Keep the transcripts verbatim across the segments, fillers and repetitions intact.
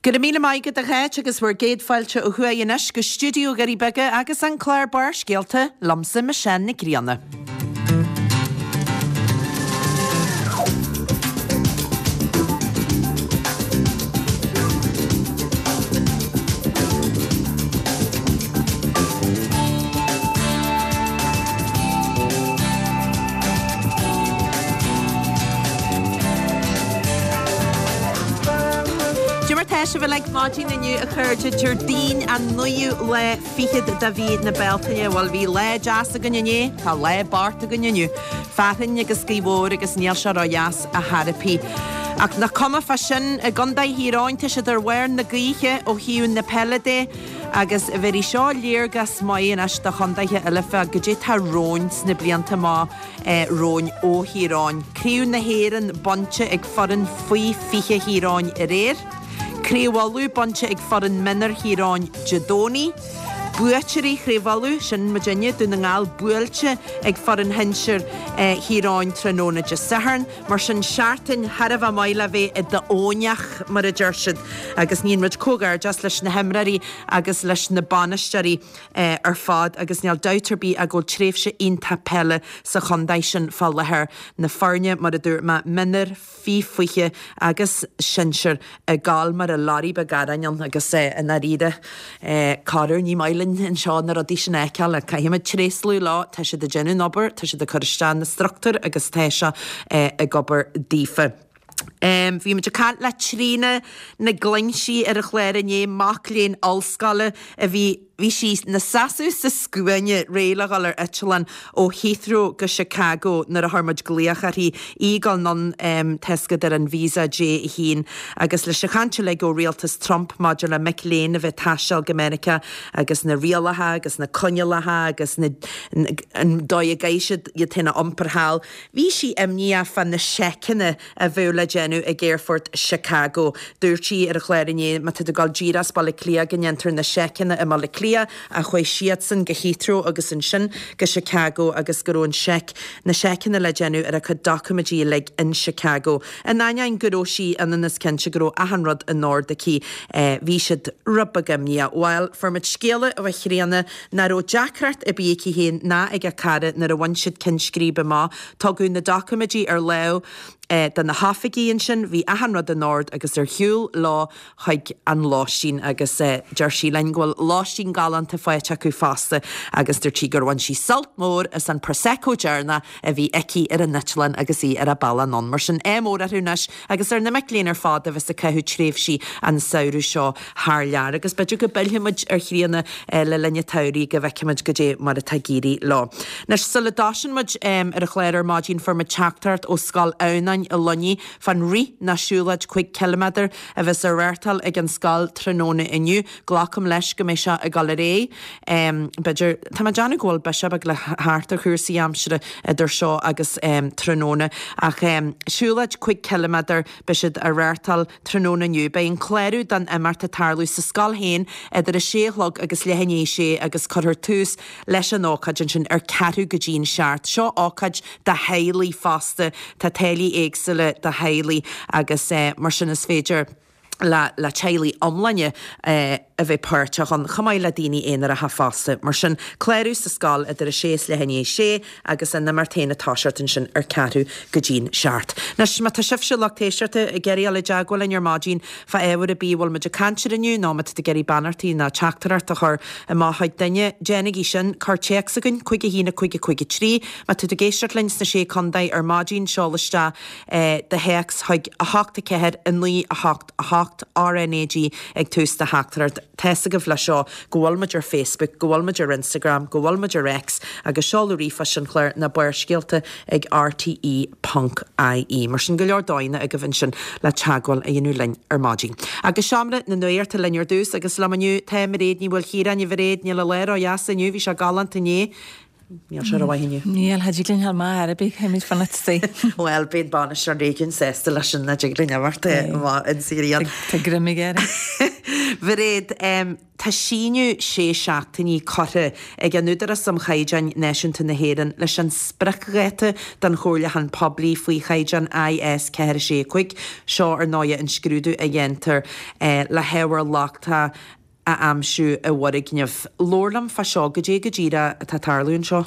Go raibh míle maith agat a Cháit agus bhur gcéad fáilte ó thuaidh anois go stiúideo Dhoirí Beaga agus an clár Barrscéalta liomsa Michelle Nic Grianna. Cad é mar tá sibh uilig maidin inniu a chairde Déardaoin an naoú lá fichead de mhí na Bealtaine. Bhuel bhí lá deas againn inné, tá lá bocht againn inniu. Fearthainn agus gaoth mhór agus níl sé ródheas ar chor ar bith. Ach nach cuma fá sin, i gContae Thír Eoghain tá siad ar bharr na gaoithe ó thaobh na peile de agus bhéarfaidh seo léargas maith anois do chontaetha eile fá goidé tá romhainn sna blianta amach romhainn ó Thír Eoghain. Craobh na hÉireann bainte ag foireann faoi fiche Thír Eoghain aréir. Craobh Uladh bainte ag foireann mionúir Thír Eoghain Dé Domhnaigh. Buaiteoirí Chraobh Uladh, sin muidinne, Dún na nGall, buailte ag foireann shinsir Thír Eoghain tráthnóna Dé Sathairn. Mar sin, seachtain thar a bheith maith le bheith i d'Eoghaineach, mar a deir siad. Agus níonn muid comhghairdeas leis na himreoirí agus leis na bainisteoirí ar fad agus níl dabht ar bith ach go bhfuil tréimhse iontach peile sa chontae sin fá láthair. Na foirne, mar a dúirt mé, mionúir, faoi fiche agus sinsir ag gabháil mar a lorry beag aráin ann agus i ndáiríre corruair ní maith linn anseo na rudaí sin a fheiceáil ach caithfimid tréaslú leo, tá siad ag déanamh an obair, tá siad ag cur isteach na struchtúir agus tá sé ag obair daofa. Bhí muid ag caint le Tríona Nic Loingsigh ar an chlár inné, mac léinn ollscoile a bhí Bhí sí 'na seasamh sa scuaine réidh le dhul ar eitleán ó Heathrow go Chicago nuair a chuir muid glaoch uirthi, í ag dul anonn tá 'fhios agat ar an visa J a haon agus leis an chaint uilig ó rialtas Trump maidir le mic léinn a bheith ag taisteal go Meiriceá agus na rialacha agus na coinníollacha agus na an dóigh a gcaithfidh siad iad féin a iompar thall. Bhí sí imníoch fá na seiceanna a bheadh le déanamh ag aerfort Chicago. Dúirt sí ar an chlár inné má tá tú ag dul díreach as Baile Átha Cliath go ndéantar na seiceanna i mBaile Átha Cliath ach chuaigh siadsan go Heathrow agus ansin go Chicago agus go raibh an seic, na seiceanna le déanamh ar a cuid doiciméidí uilig in Chicago. In ainneoin go raibh sí ionann is cinnte go raibh achan rud in ord aici, bhí siad rud beag imníoch. Bhuel, fuair muid scéala ó Thríona nach raibh deacracht ar bith aici féin ná ag a cara nuair a bhain siad Cinn Scríbe amach. Tugadh na doiciméidí ar láimh do na hoifigigh ansin, bhí achan rud in ord agus ar shiúl leo chuig an lóistín agus deir sí linn go bhfuil lóistín galánta faighte acu fosta agus dúirt sí gur bhain sí sult mór as an Prosecco deireanach a bhí aici ar an eitleán agus í ar a bealach anonn. Mar sin, ádh mór orthu anois agus ar na mic léinn ar fad a bheas ag caitheamh tréimhsí an samhradh seo thar lear agus b'fhéidir go bpillfidh muid ar Thríona le linn an tsamhraidh go bhfeicfidh muid goidé mar atá ag éirí leo. Anois, sula dtosaíonn muid ar an chlár ar maidin fuair muid teachtaireacht ó Scoil Adhamhnáin i Luinnigh fán rith ná siúlóid cúig ciliméadar a bheas á reáchtáil ag an scoil tráthnóna inniu. Glacaim leis go mbeidh seo ag dul ar aghaidh. B'fhéidir, tá mé ag déanamh go bhfuil biseach beag le theacht ar chúrsaí aimsire idir seo agus tráthnóna. Ach siúlóid cúig ciliméadar, beidh siad á reáchtáil tráthnóna inniu. Beidh an clárú don imeacht ag tarlú sa scoil féin idir a sé a chlog agus leath i ndiaidh a sé agus cuirfear tús leis an ócáid ansin ar ceathrú go dtí'n seacht. Seo ócáid do theaghlaigh fosta. Tá táillí éagsúla do theaghlaigh agus mar sin is féidir le le teaghlaigh iomláine a bheith páirteach ann, chomh maith le daoine aonaracha fosta. Mar sin, clárú sa scoil idir a sé is leath i ndiaidh a sé agus an imeacht féin ag toiseacht ansin ar ceathrú go dtí'n seacht. Anois, má tá sibhse, lucht éisteachta, ag iarraidh dul i dteagmháil linn ar maidin fá ábhar ar bith a bhfuil muid ag caint air inniu nó má tá tú ag iarraidh beannachtaí nó teachtaireacht a chur amach chuig duine, déanaigí sin. Cuir téacs chugainn, cúig a haon a cúig a cúig a trí. Má tá tú ag éisteacht linn sna Sé Contae ar maidin, seol isteach do théacs chuig a hocht a ceathair a naoi a hocht a hocht, RnaG ag tús do theachtaireacht. Tá's agaibh leis seo go bhfuil muid ar Facebook, go bhfuil muid ar Instagram, go bhfuil muid ar X agus seoladh ríomhphoist an chláir ná Barrscéalta ag rte ponc ie. Mar sin go leor dóigheanna agaibh ansin le teagmháil a dhéanamh linn ar maidin. Agus seomra na nuachta linn ar dtús agus liom inniu tá Mairéad Ní Mhaoilchiaráin. A Mhairéad, níl an lá ródheas inniu, bhí sé galánta inné. Níl sé rómhaith inniu. Níl, cha dtig linn a ghabháil amach ar bith, caithfimid fanacht istigh. Bhuel, beidh an bainisteoir réigiúin sásta leis sin, nach dtig linn imeacht amach insa ghrian. Tá greim aige air. Mhairéad, Tá síneadh sé seachtainí curtha ag an Údarás um Chaighdeáin Náisiúnta na hÉireann leis an spriocdháta don chomhairliúchán poiblí faoi chaighdeán I S ceathair sé cúig. Seo ar ndóigh an scrúdú a dhéantar le hábhar lochtach a aimsiú i bhfoirgneamh. Labhair liom fá seo, goidé go díreach atá ag tarlú anseo.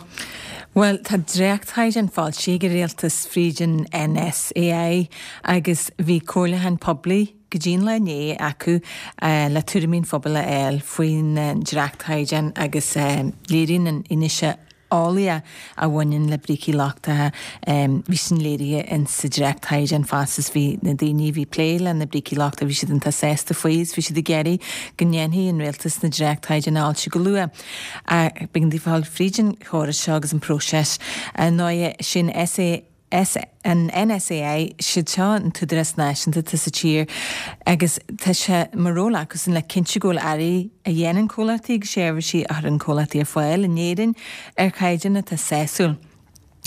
Well, tá dréachtchaighdeán foilsithe ag an rialtas fríd an N S A I agus bhí comhairliúchán poiblí go dtí an lá inné acu uh, le tuairimí an phobail a fháil faoin dréachtchaighdeán agus uh, léiríonn an fhianaise eolaíoch a bhaineann le brící lochtacha, um, bhí sin léirithe in sa dréachtchaighdeán fosta. Bhí na daoine bhí plé le na brící lochtacha, bhí siad an-sásta faoi, bhí siad ag iarraidh go ndéanfaidh an rialtas na dréachtchaighdeán a fhoilsiú go luath. Bíonn daoine fáil fríd an chóras seo agus an próiseas nóie sin S A S an N S A I, siad seo an t-údarás náisiúnta atá sa tír agus tá sé mar ról acu le cinntiú go bhfuil earraí a dhéanann comhlachtaí agus seirbhísí a chuireann comhlachtaí ar fáil in Éirinn ar chaighdeán atá sásúil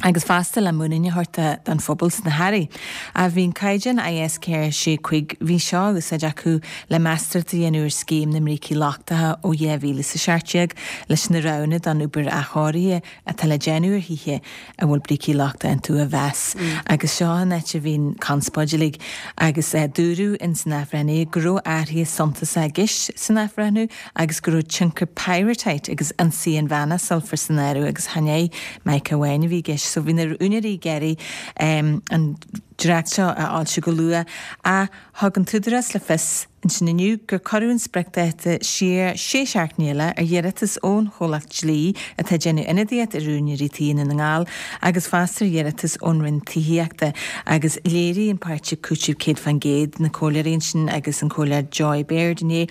agus fosta le muinín a thabhairt don phobal sna hearraí. A bhíonn caighdeán I S ceathair sé cúig, bhí seo úsáid acu le meastóireacht a dhéanamh ar scéim na mbrící lochtacha ó dhá mhíle sa seacht déag leis na roghanna don obair athchóirithe atá le déanamh ar thithe a bhfuil brící lochtacha iontu a mheas. Mm. Agus seo an áit a bhíonn conspóid uilig agus uh, dúradh in san athbhreithniú go raibh athruithe suntasacha i gceist san athbhreithniú agus go raibh tionchar pyrrhotite agus ionsaí an mheanma sulfair san áireamh agus chan é mica amháin a bhí i gceist. So bhí na úinéirí ag iarraidh um, an dréacht seo a fhoilsiú go luath, a thug an t-údarás le fios ansin inniu gur cuireadh an spriocdháta siar sé seachtaine eile ar iarratas ón chomhlacht dlí atá déanamh ionadaíocht ar úinéirí tí i nDún na nGall agus fosta ar iarratas ón Roinn Tithíochta. Agus léirigh an páirtí Cúiteamh Céad Faoin gCéad, na comhairleoirí sin agus an comhairleoir Joy Baird inné,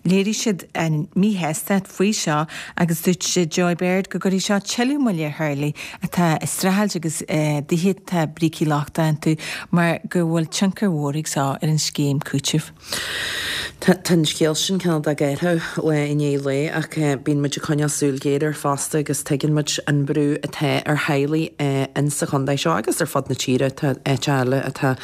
léirigh siad an míshástacht faoi seo agus dúirt sé Joy Baird go gcuirfidh seo tuilleadh moille ar theaghlaigh atá ag streachailt agus uh, tithe atá brící lochtacha iontu mar go bhfuil tionchar mhór ag seo ar an scéim cúitimh. Tá an scéal sin cineál géartha le inné le ach bíonn muid ag coinneáil súil ghéar air fosta agus tuigeann muid an brú atá ar theaghlaigh in sa chontae seo agus ar fud na tíre. Tá áit eile atá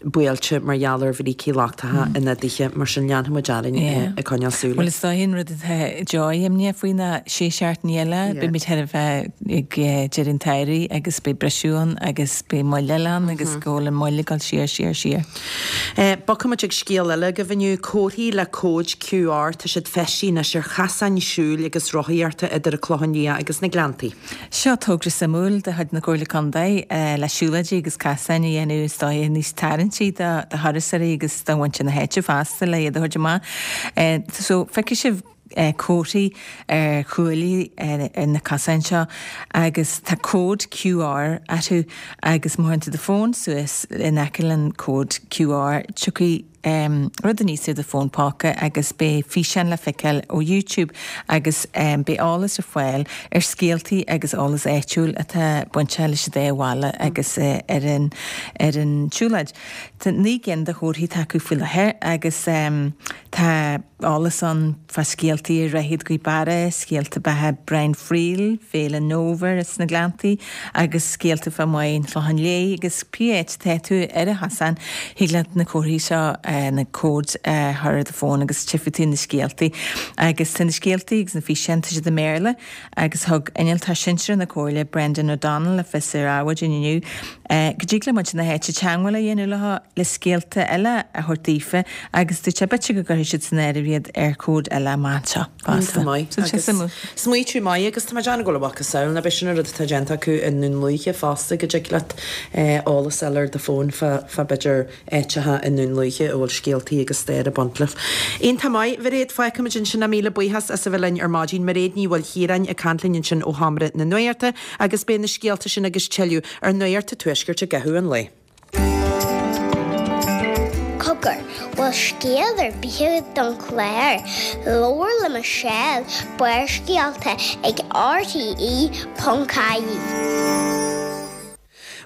buailte mar gheall ar bhrící lochtacha ina dtithe, mar sin leanfaidh muid orainn ag coinneáil súil. Well, is dóigh an rud atá Joy imníoch faoi ná sé seachtaine eile, beimid thar a bheith ag deireadh an tsamhraidh agus beidh briseadh ann agus beidh moill ann agus go bhfuil an moill ag dul siar siar siar. Bogfaimid ag scéal eile go bhfuil comharthaí le cóid Q R, tá siad feistithe anois ar chasáin siúil agus rothaíochta idir an Clochán Liath agus na Gleanntaí. Seo togra suimiúil de chuid na Comhairle Contae le siúlóidí agus casáin a dhéanamh is dóigh níos tarraingtí do do thurasóirí agus do mhuintir na háite fosta le iad a thabhairt amach. So feicfidh sibh comharthaí ar chuaillí ar na casáin seo agus tá cód Q R orthu agus má chuireann tú do fón suas in aice an cód Q R, tiocfaidh um, rud aníos ar do fón póca agus beidh físeán le feiceáil ó YouTube agus um, beidh eolas ar fáil ar scéaltaí agus eolas áitiúil atá bainte leis an dá bhaile agus uh, ar an ar an tsiúlóid. Tá naoi gcinn de chomharthaí acu faoi láthair agus um, tá eolas ann fá scéaltaí ar Dhroichead Ghaoth Beara, scéalta beatha Brian Friel, Féile an Fhómhair is na Gleanntaí agus scéalta fá Mhaigh an Chlocháin Léith agus pé áit atá tú ar an chosán, thig leat na comharthaí seo uh, na cóid uh, thar do fón agus tchífidh tú na scéaltaí. Agus tá na scéaltaí agus na físeáin, tá siad i mBéarla agus thug innealtóir sinsearach na Comhairle Brendan O'Donnell le fios ar Adhmhaidin inniu uh, go dtig le muintir na háite teagmháil a dhéanamh leo le scéalta eile a thabhairt daofa agus dúirt sé b'fhéidir go gcuirfidh siad san áireamh iad ar cód eile amach anseo fosta. Smaoineamh maith agus tá John go bhfuil samhail na be sin rud atá déanta acu i nDún Lúiche fosta, go dtig leat eolas eile ar do fón fá b'fhéidir áiteacha i nDún Lúiche a bhfuil scéaltaí agus stair ag baint leo. Iontach maith, Mhairéad, fágfaimid ansin é. Míle buíochas as a bheith linn ar maidin. Mairéad Ní Mhaoilchiaráin ag caint linn ansin ó Sheomra na Nuachta agus beidh na scéalta sin agus tuilleadh ar Nuacht an Tuaiscirt i gcaitheamh an lae. Cogar, bhfuil scéal ar bith don chlár, Labhair le Michelle, Barrscéalta ag R T E ponc I E.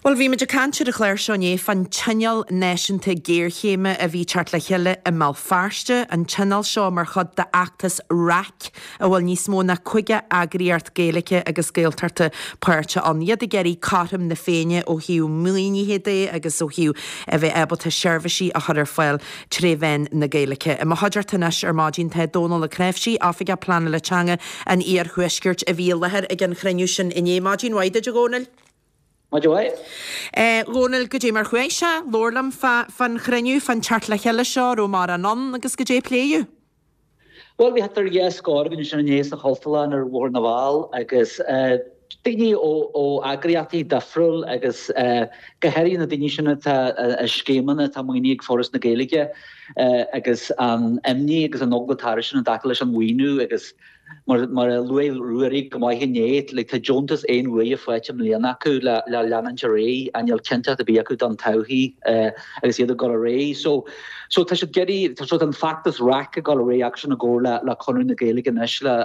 Bhuel, bhí muid ag caint ar an chlár seo inné fán Tionól Náisiúnta Géarchéime a bhí teacht le chéile i mBéal Feirste, an tionól seo mar chuid d'fheachtas RAC a bhfuil níos mó ná caoga eagraíocht Gaeilge agus Gaeltachta páirteach ann. Iad ag iarraidh cothrom na Féinne ó thaobh maoinithe de agus ó thaobh a bheith ábalta seirbhísí a chur ar fáil tré mheán na Gaeilge. I mo chuideachta anois ar maidin tá Dónal Ó Cnáimhsí, Oifigeach Pleanála Teanga an Iarthuaiscirt a bhí i láthair ag an chruinniú sin inné. Maidin mhaith duit, a Dhónaill. Maidin mhaith. Eh, Dhónaill, goidé mar chuaigh sé, labhair liom fán chruinniú, fán teacht le chéile seo, raibh mórán ann agus goidé a pléadh. Bhuel, bhí thart ar dhá scór againn ansin inné sa Chultúrlann ar Bhóthar na bhFál agus eh, daoine ó, ó eagraíochtaí difriúil agus eh, go háirithe na daoine sin atá i scéimeanna atá maoinithe ag Foras na Gaeilge agus an imní agus an eagla atá orthu sin i dtaca leis an mhaoiniú agus Mar mar a luaigh Ruairí go maith inné, like, tá deontas aon uaire faighte i mbliana acu le le leanúint ar aghaidh ach níl cinnteacht ar bith acu don todhchaí agus iad ag dul ar aghaidh. So so tá siad ag iarraidh so tá an feachtas RAC ag dul ar aghaidh acusan i gcomhar le le Conradh na Gaeilge anois le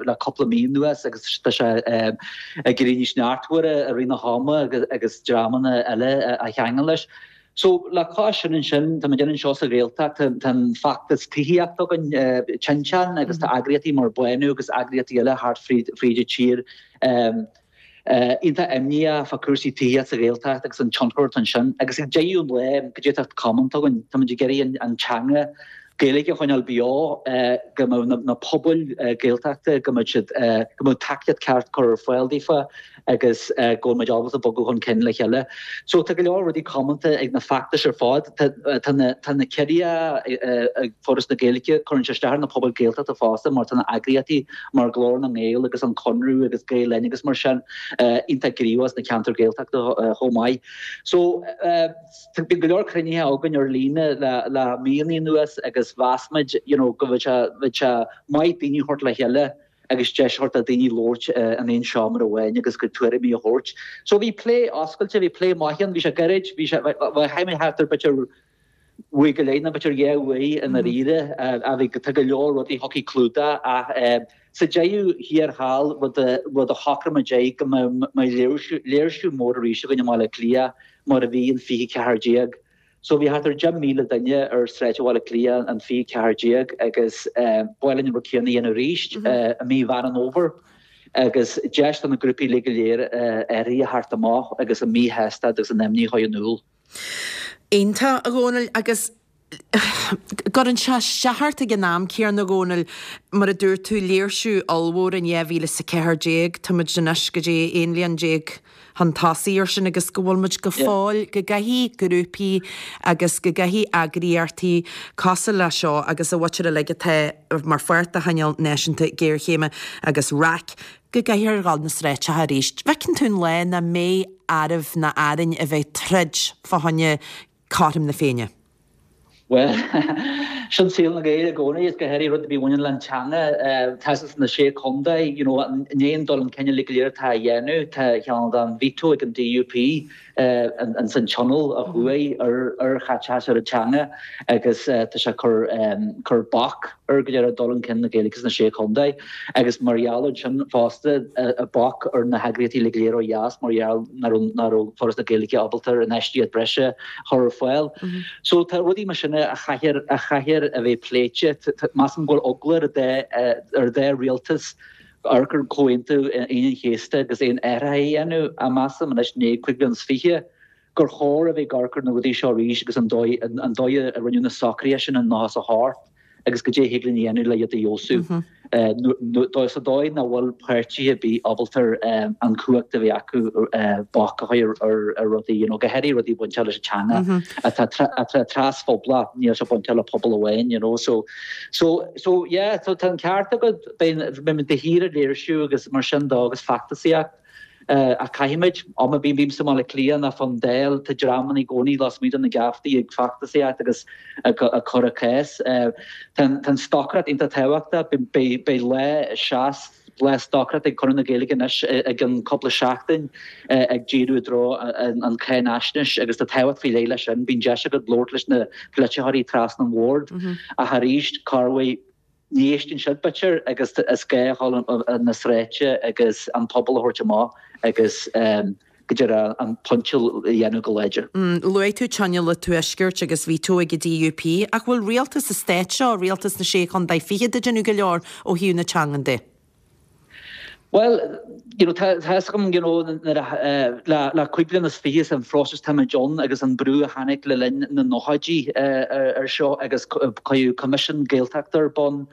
le cúpla mí anuas agus tá sé ag éirí níos neartmhaire i rith na hama agus agus dreamanna eile a cheangal leis. So, le cois sin ansin, tá muid anseo sa Ghaeltacht, tá an feachtas tithíochta againn, Tinteán, agus tá eagraíochtaí mar Bánú agus eagraíochtaí eile thart fríd an tír iontach imníoch fá cúrsaí tithíochta sa Ghaeltacht agus an tionchar atá ansin. Agus ag deireadh an lae, goidé atá comónta againn, tá muid ag iarraidh an teanga Gaeilge a choinneáil beo, go mbeadh na pobail Gaeltachta, go mbeadh siad, go mbeadh tacaíocht ceart curtha ar fáil daofa agus go bhfuil muid ábalta bogadh chun cinn le chéile. So tá go leor rudaí comónta ag na feachtais ar fad. Tá na tá na ciorruithe ag Foras na Gaeilge, cuireann sé isteach ar na pobail Gaeltachta fosta mar tá na eagraíochtaí mar Glór na nGael agus an Conradh agus Gael Linn agus mar sin iontach gníomhach sna ceantair Gaeltachta chomh maith. So bíonn go leor cruinnithe againn ar líne le le míonna anuas agus mheas muid you know go bhfuil sé bheadh sé maith daoine a thabhairt le chéile agus deis a thabhairt do daoine labhairt in aon seomra amháin agus a gcuid tuairimí a thabhairt. So bhí plé oscailte, bhí plé maith ann, bhí sé gairid, bhí sé chaith mé thart ar b'fhéidir uair go leith nó b'fhéidir dhá uair i ndáiríre ach bhí tá go leor rudaí a thiocfaidh clúdach ach sa deireadh thiar thall rud a rud a shocraigh muid é go mbeidh léirsiú léirsiú mór arís againn i mBaile Átha Cliath mar a bhí an fiche ceathair déag. So bhí thart ar deich míle duine ar Sráid Bhaile Átha Cliath an fiche ceathair déag agus ba mhaith linn an rud céanna a dhéanamh arís i mí Mheán an Fhómhair agus deis do na grúpaí uilig go léir athruithe a thabhairt amach agus a míshástacht agus a n-imní a chur in iúl. Iontach, a Dhónaill, agus cuireann sé isteach ort ag an am céanna, a Dhónaill, mar a dúirt tú, léirsiú ollmhór in dhá mhíle is a ceathair déag, tá muid anois go dtí aon bhliain déag chun tosaigh ar sin agus go bhfuil muid go fóill, go gcaithfidh grúpaí agus go gcaithfidh eagraíochtaí cosúil le seo agus a mhuintir uilig atá mar pháirt de Thionól Náisiúnta Géarchéime agus RAC, go gcaithfear a dhul na sráideacha arís. Bhfeiceann tú an lá nach mbeidh oraibh ná orainn a bheith troid fá choinne cothrom na Féinne? Bhuel, sin saol na Gaeilge i gcónaí, is go háirithe rud ar bith a bhaineann le an teanga. Tá sna Sé Chontae, you know, i ndiaidh an dul chun cinn uilig go léir atá á dhéanamh, tá cineál den veto ag an DUP ins an tionól ó thuaidh ar ar chaiteachas ar an teanga agus tá sé ag cur cur bac ar go léir dul chun cinn na Gaeilge sna Sé Chontae agus mar gheall ar sin fosta bac ar na heagraíochtaí uilig go léir ó dheas mar gheall nach raibh nach raibh Foras na Gaeilge ábalta infheistíocht breise a chur ar fáil. So tá rudaí mar sin a chaithfear a chaithfear a bheith pléite. Measaim go bhfuil eagla ar an ar an dá rialtas amharc ar Chomhaontú Aoine an Chéasta agus aon athruithe a dhéanamh ach measaim anois i ndiaidh cúig bliana is fiche gur chóir a bheith ag amharc ar na rudaí seo arís agus an dóigh an dóigh a rinneadh na socruithe sin in nócha is a hocht agus goidé a thig linn a dhéanamh le iad a fheabhsú. Sa dóigh nach bhfuil páirtithe ar bith ábalta an chumhacht a bheith acu bac a chur ar rudaí, you know, go háirithe rudaí bainteach leis an teanga atá atá trasphobalach, níl sé bainteach le pobal amháin, you know. So, so, so yeah, so tá an ceart agat, beidh muid de shíor ag léirsiú agus mar sin dó agus feachtasaíocht. Ach caithfimid, am ar bith a bhímse i mBaile Átha Cliath nó fán Dáil, tá dreamanna i gcónaí lasmuigh de na geaftaí ag feachtasaíocht agus ag cur a cás. Tá an stocaireacht iontach tábhachtach. Beidh lá seas, lá stocaireachta ag Conradh na Gaeilge anois i gcionn cúpla seachtain ag díriú i dtreo an cháinaisnéis agus tá tábhacht faoi leith leis sin. Bíonn deis agat labhairt leis na polaiteoirí trasna an bhoird ach arís, corruair, Ní éisteann siad, b'fhéidir, agus is gá a dhul na sráide agus an pobal a thabhairt amach agus go deireadh an pointe a dhéanamh go láidir. Luaigh tú Tionól an Tuaiscirt agus veto ag an DUP, ach bhfuil rialtas an stáit seo, rialtas na Sé Chontae Fichead ag déanamh go leor ó thaobh na teangan de? Well, you know, tá fhios agam, you know, nuair a, le, le cúig bliana is fiche an phróiseas táimid ann agus an brú a tháinig le linn na nóchaidí ar seo agus cuireadh Coimisiún Gaeltachta ar bun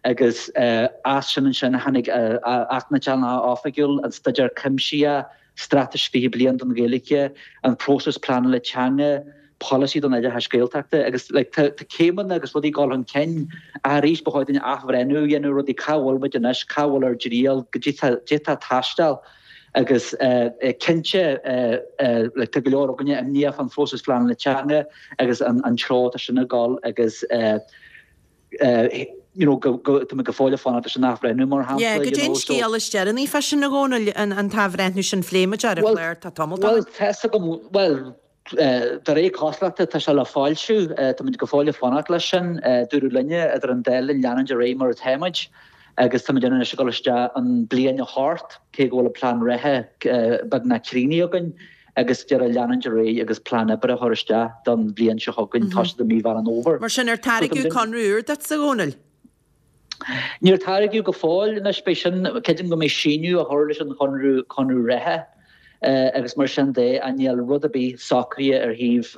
agus as sin ansin tháinig Acht na dTeangacha Oifigiúil, an Staidéar Cuimsitheach, Straitéis Fiche Bliain don Ghaeilge, an próiseas pleanála teanga, polasaí don oideachas Gaeltachta agus like tá tá céimeanna agus rudaí ag dul chun cinn ach arís ba chóir dúinn athbhreithniú a dhéanamh rudaí cá bhfuil muid anois, cá bhfuil ár dtriall, goidé tá goidé tá ag taisteal agus cinnte like tá go leor againne imníoch fán phróiseas pleanála teanga agus an an treo atá sin ag dul agus you know go go tá muid go fóill ag fanacht leis an athbhreithniú mar shampla Yeah, you goidé an know so scéal is deireanaí fá sin a Dhónaill, an an t-athbhreithniú sin phléigh muid ar an Well chlár tá tamall well tá fhios agam well de réir cosúlachta tá sé le foilsiú táimid go fóill ag fanacht leis sin dúradh linne idir an dá linn leanúint ar aghaidh mar atáimid agus táimid anois ag dul isteach an bliain a hocht cé go bhfuil an plean reatha beagnach críochnaithe againn agus deireadh leanúint ar aghaidh agus plean oibre a chur isteach don bhliain seo chugainn, toiseacht i mí Mheán an Fhómhair. Mar sin ar tairgeadh conradh úr duit a Dhónaill? Níor tairgeadh go fóill anois, beidh sin, creidim go mbeidh síneadh á chur leis an chonradh, conradh reatha agus mar sin de, ach níl rud ar bith socraithe ar thaobh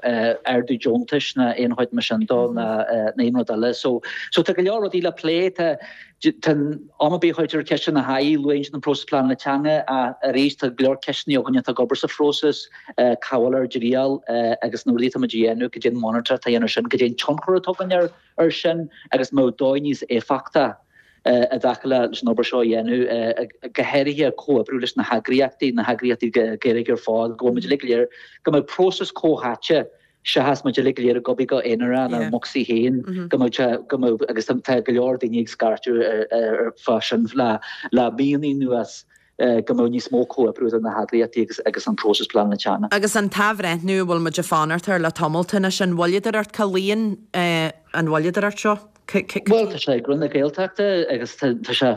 ardú deontais ná aon chuid mar sin dó ná aon rud eile. So, so tá go leor rudaí le plé, tá, tá am ar bith a chuirtear ceist ina haghaidh, luaigh an próiseas pleanála teanga ach arís tá go leor ceisteanna againne atá ag obair sa phróiseas, cá bhfuil ár dtriall agus na rudaí atá muid a dhéanamh, goidé an monatóireacht atá á dhéanamh sin, goidé an tionchar atá againn air air sin agus an mbeadh dóigh níos éifeachta i dtaca leis an obair seo a dhéanamh, go háirithe comhoibriú leis na heagraíochtaí, na heagraíochtaí Gaeilge ar fad, go bhfuil muid uilig go léir, go mbeadh próiseas comhtháite seachas muid uilig go léir ag obair go aonarach inár mbocsaí féin, go mbeadh sé, go mbeadh, agus tá go leor daoine ag scairteadh ar fá sin le le míonna anuas, go mbeadh níos mó comhoibriú idir na heagraíochtaí agus agus an próiseas pleanála teanga. Agus an t-athbhreithniú a bhfuil muid ag fanacht air le tamalt anois, an mhoilleadóireacht, cá luíonn an mhoilleadóireacht seo? Bhuel, tá sé ag Roinn na Gaeltachta agus tá sé,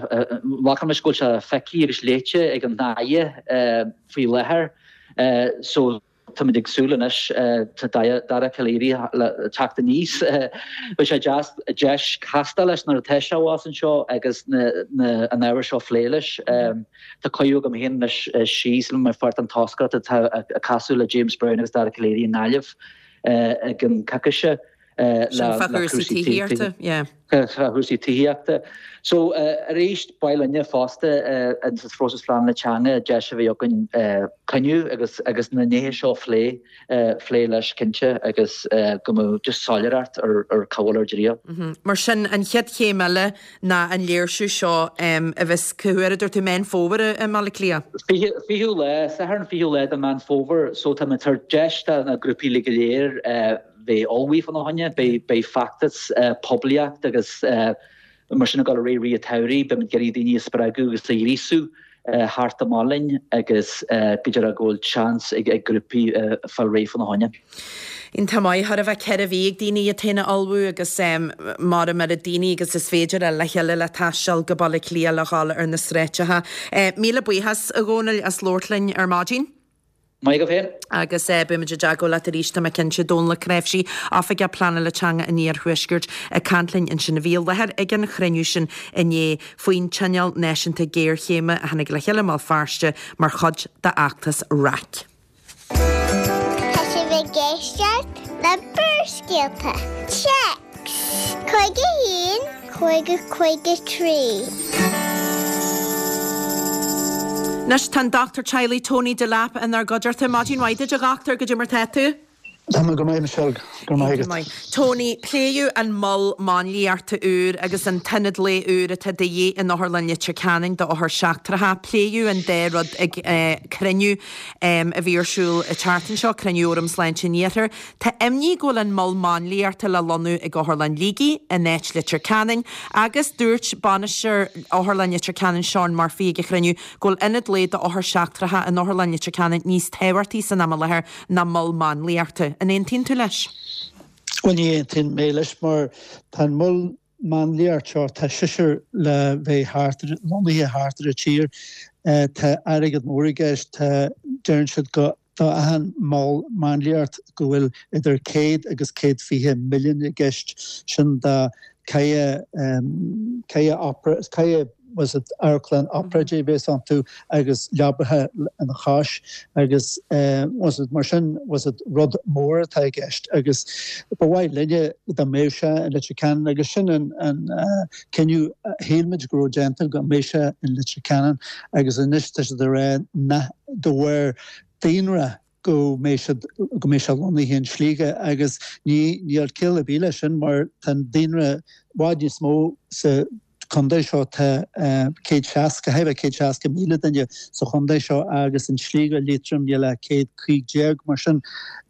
glacaim leis go bhfuil sé feicthe agus léite ag an Aire faoi láthair. So táimid ag súil anois, tá Dara Calleary le teacht aníos. Beidh sé deas deis castáil leis nuair atá sé abhus anseo agus an ábhar seo a phlé leis. Tá cuireadh agam féin anois síos le mar pháirt den toscaireacht atá ag casadh le James Browne agus Dara Calleary i nGaillimh i gceann coicíse. Sin fá chúrsaí tithíochta, yeah. Fá chúrsaí tithíochta. So arís, ba mhaith linne fosta sa phróiseas pleanála teanga deis a bheith againn cruinniú agus agus na nithe seo a phlé, phlé leis cinnte agus go mbeadh just soiléireacht ar ar cá bhfuil ár dtriall. Mar sin, an chéad chéim eile ná an léirsiú seo a bheas cá huair a dúirt tú Meán Fómhair i mBaile Átha Cliath? Fiche, fichiú lá, Satharn fichiú lá de Mheán Fómhair, so tá muid ag tabhairt deis do na grúpaí uilig go léir bheith ullmhaithe fána choinne, beidh feachtas poiblíocht agus mar sin ag dul ar aghaidh i rith an tsamhraidh, beimid ag iarraidh daoine a spreagadh agus a ghríosú theacht amach linn agus go deimhin go bhfuil seans ag grúpaí fáil réidh fána choinne. Iontach maith, chóir a bheith ceithre mhí ag daoine iad féin a ullmhú agus mar an oiread daoine agus is féidir a le chéile le taisteal go Baile Átha Cliath le dhul ar na sráideacha. Míle buíochas, a Dhónaill, as labhairt linn ar maidin. Maith agaibh féin. Agus beimid i dteagmháil leat arís, tá mé cinnte. Dónal Ó Cnáimhsí, Oifigeach Pleanála Teanga an Iarthuaiscirt, ag caint linn ansin a bhí i láthair ag an chruinniú sin inné faoin Tionól Náisiúnta Géarchéime a tháinig le chéile i mBéal Feirste mar chuid d'fheachtas RAC. Tá sibh ag éisteacht le Barrscéalta. Téacs cúig a haon, cúig a cúig a trí. Anois tá an Dochtúir Teaghlaigh Tony Delap inár gcuideachta. Maidin mhaith duit a dhochtúir, goidé mar tá tú? Tá mé go maith Michelle, go raibh maith agat. Tony, pléadh an mol máinliachta úr agus an t-ionad lae úr atá de dhíth in Otharlann Leitir Ceanainn d'othair seachtracha. Pléadh an dá rud ag cruinniú a bhí ar siúl an tseachtain seo, cruinniú Fhóram Sláinte an Iarthair. Tá imní go bhfuil an mol máinliachta le lonnú ag Otharlann Shligigh in áit Leitir Ceanainn agus dúirt bainisteoir Otharlann Leitir Ceanainn Seán Murphy ag an chruinniú go bhfuil ionad lae d'othair seachtracha in Otharlann Leitir Ceanainn níos tábhachtaí san am i láthair ná mol máinliachta. An aontaíonn tú leis? Bhuel ní aontaíonn mé leis mar tá an mol máinliacht seo, tá seisear le bheith thart, lonnaithe thart ar an tír. Tá airgead mór i gceist, tá Deireann siad go do achan mol máinliacht go bhfuil idir céad agus céad fiche milliún i gceist, sin do ceithre ceithre opera ceithre was it amharclann obráidí a bheas iontu agus leabaithe ina chois agus was it mar sin was it rud mór atá i gceist agus ba mhaith linne dá mbeadh sé in Leitir Ceanainn agus sin an an cinneadh a shíl muid go raibh déanta go mbeadh sé in Leitir Ceanainn agus anois tá siad ag rá nach de bharr daonra go mbeidh siad go mbeidh sé lonnaithe in Sligeach agus ní níl ciall ar bith leis sin mar tá an daonra i bhfad níos mó sa chontae seo tá céad seasca thar céad seasca míle duine sa chontae seo agus in Sligeach Liatroim níl ach céad cúig déag mar sin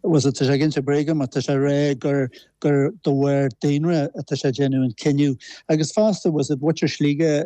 was it tá sé ag inse bréige mar tá sé ag rá gur gur de bharr daonra atá sé ag déanamh an cinneadh agus fosta was it muintir Shligigh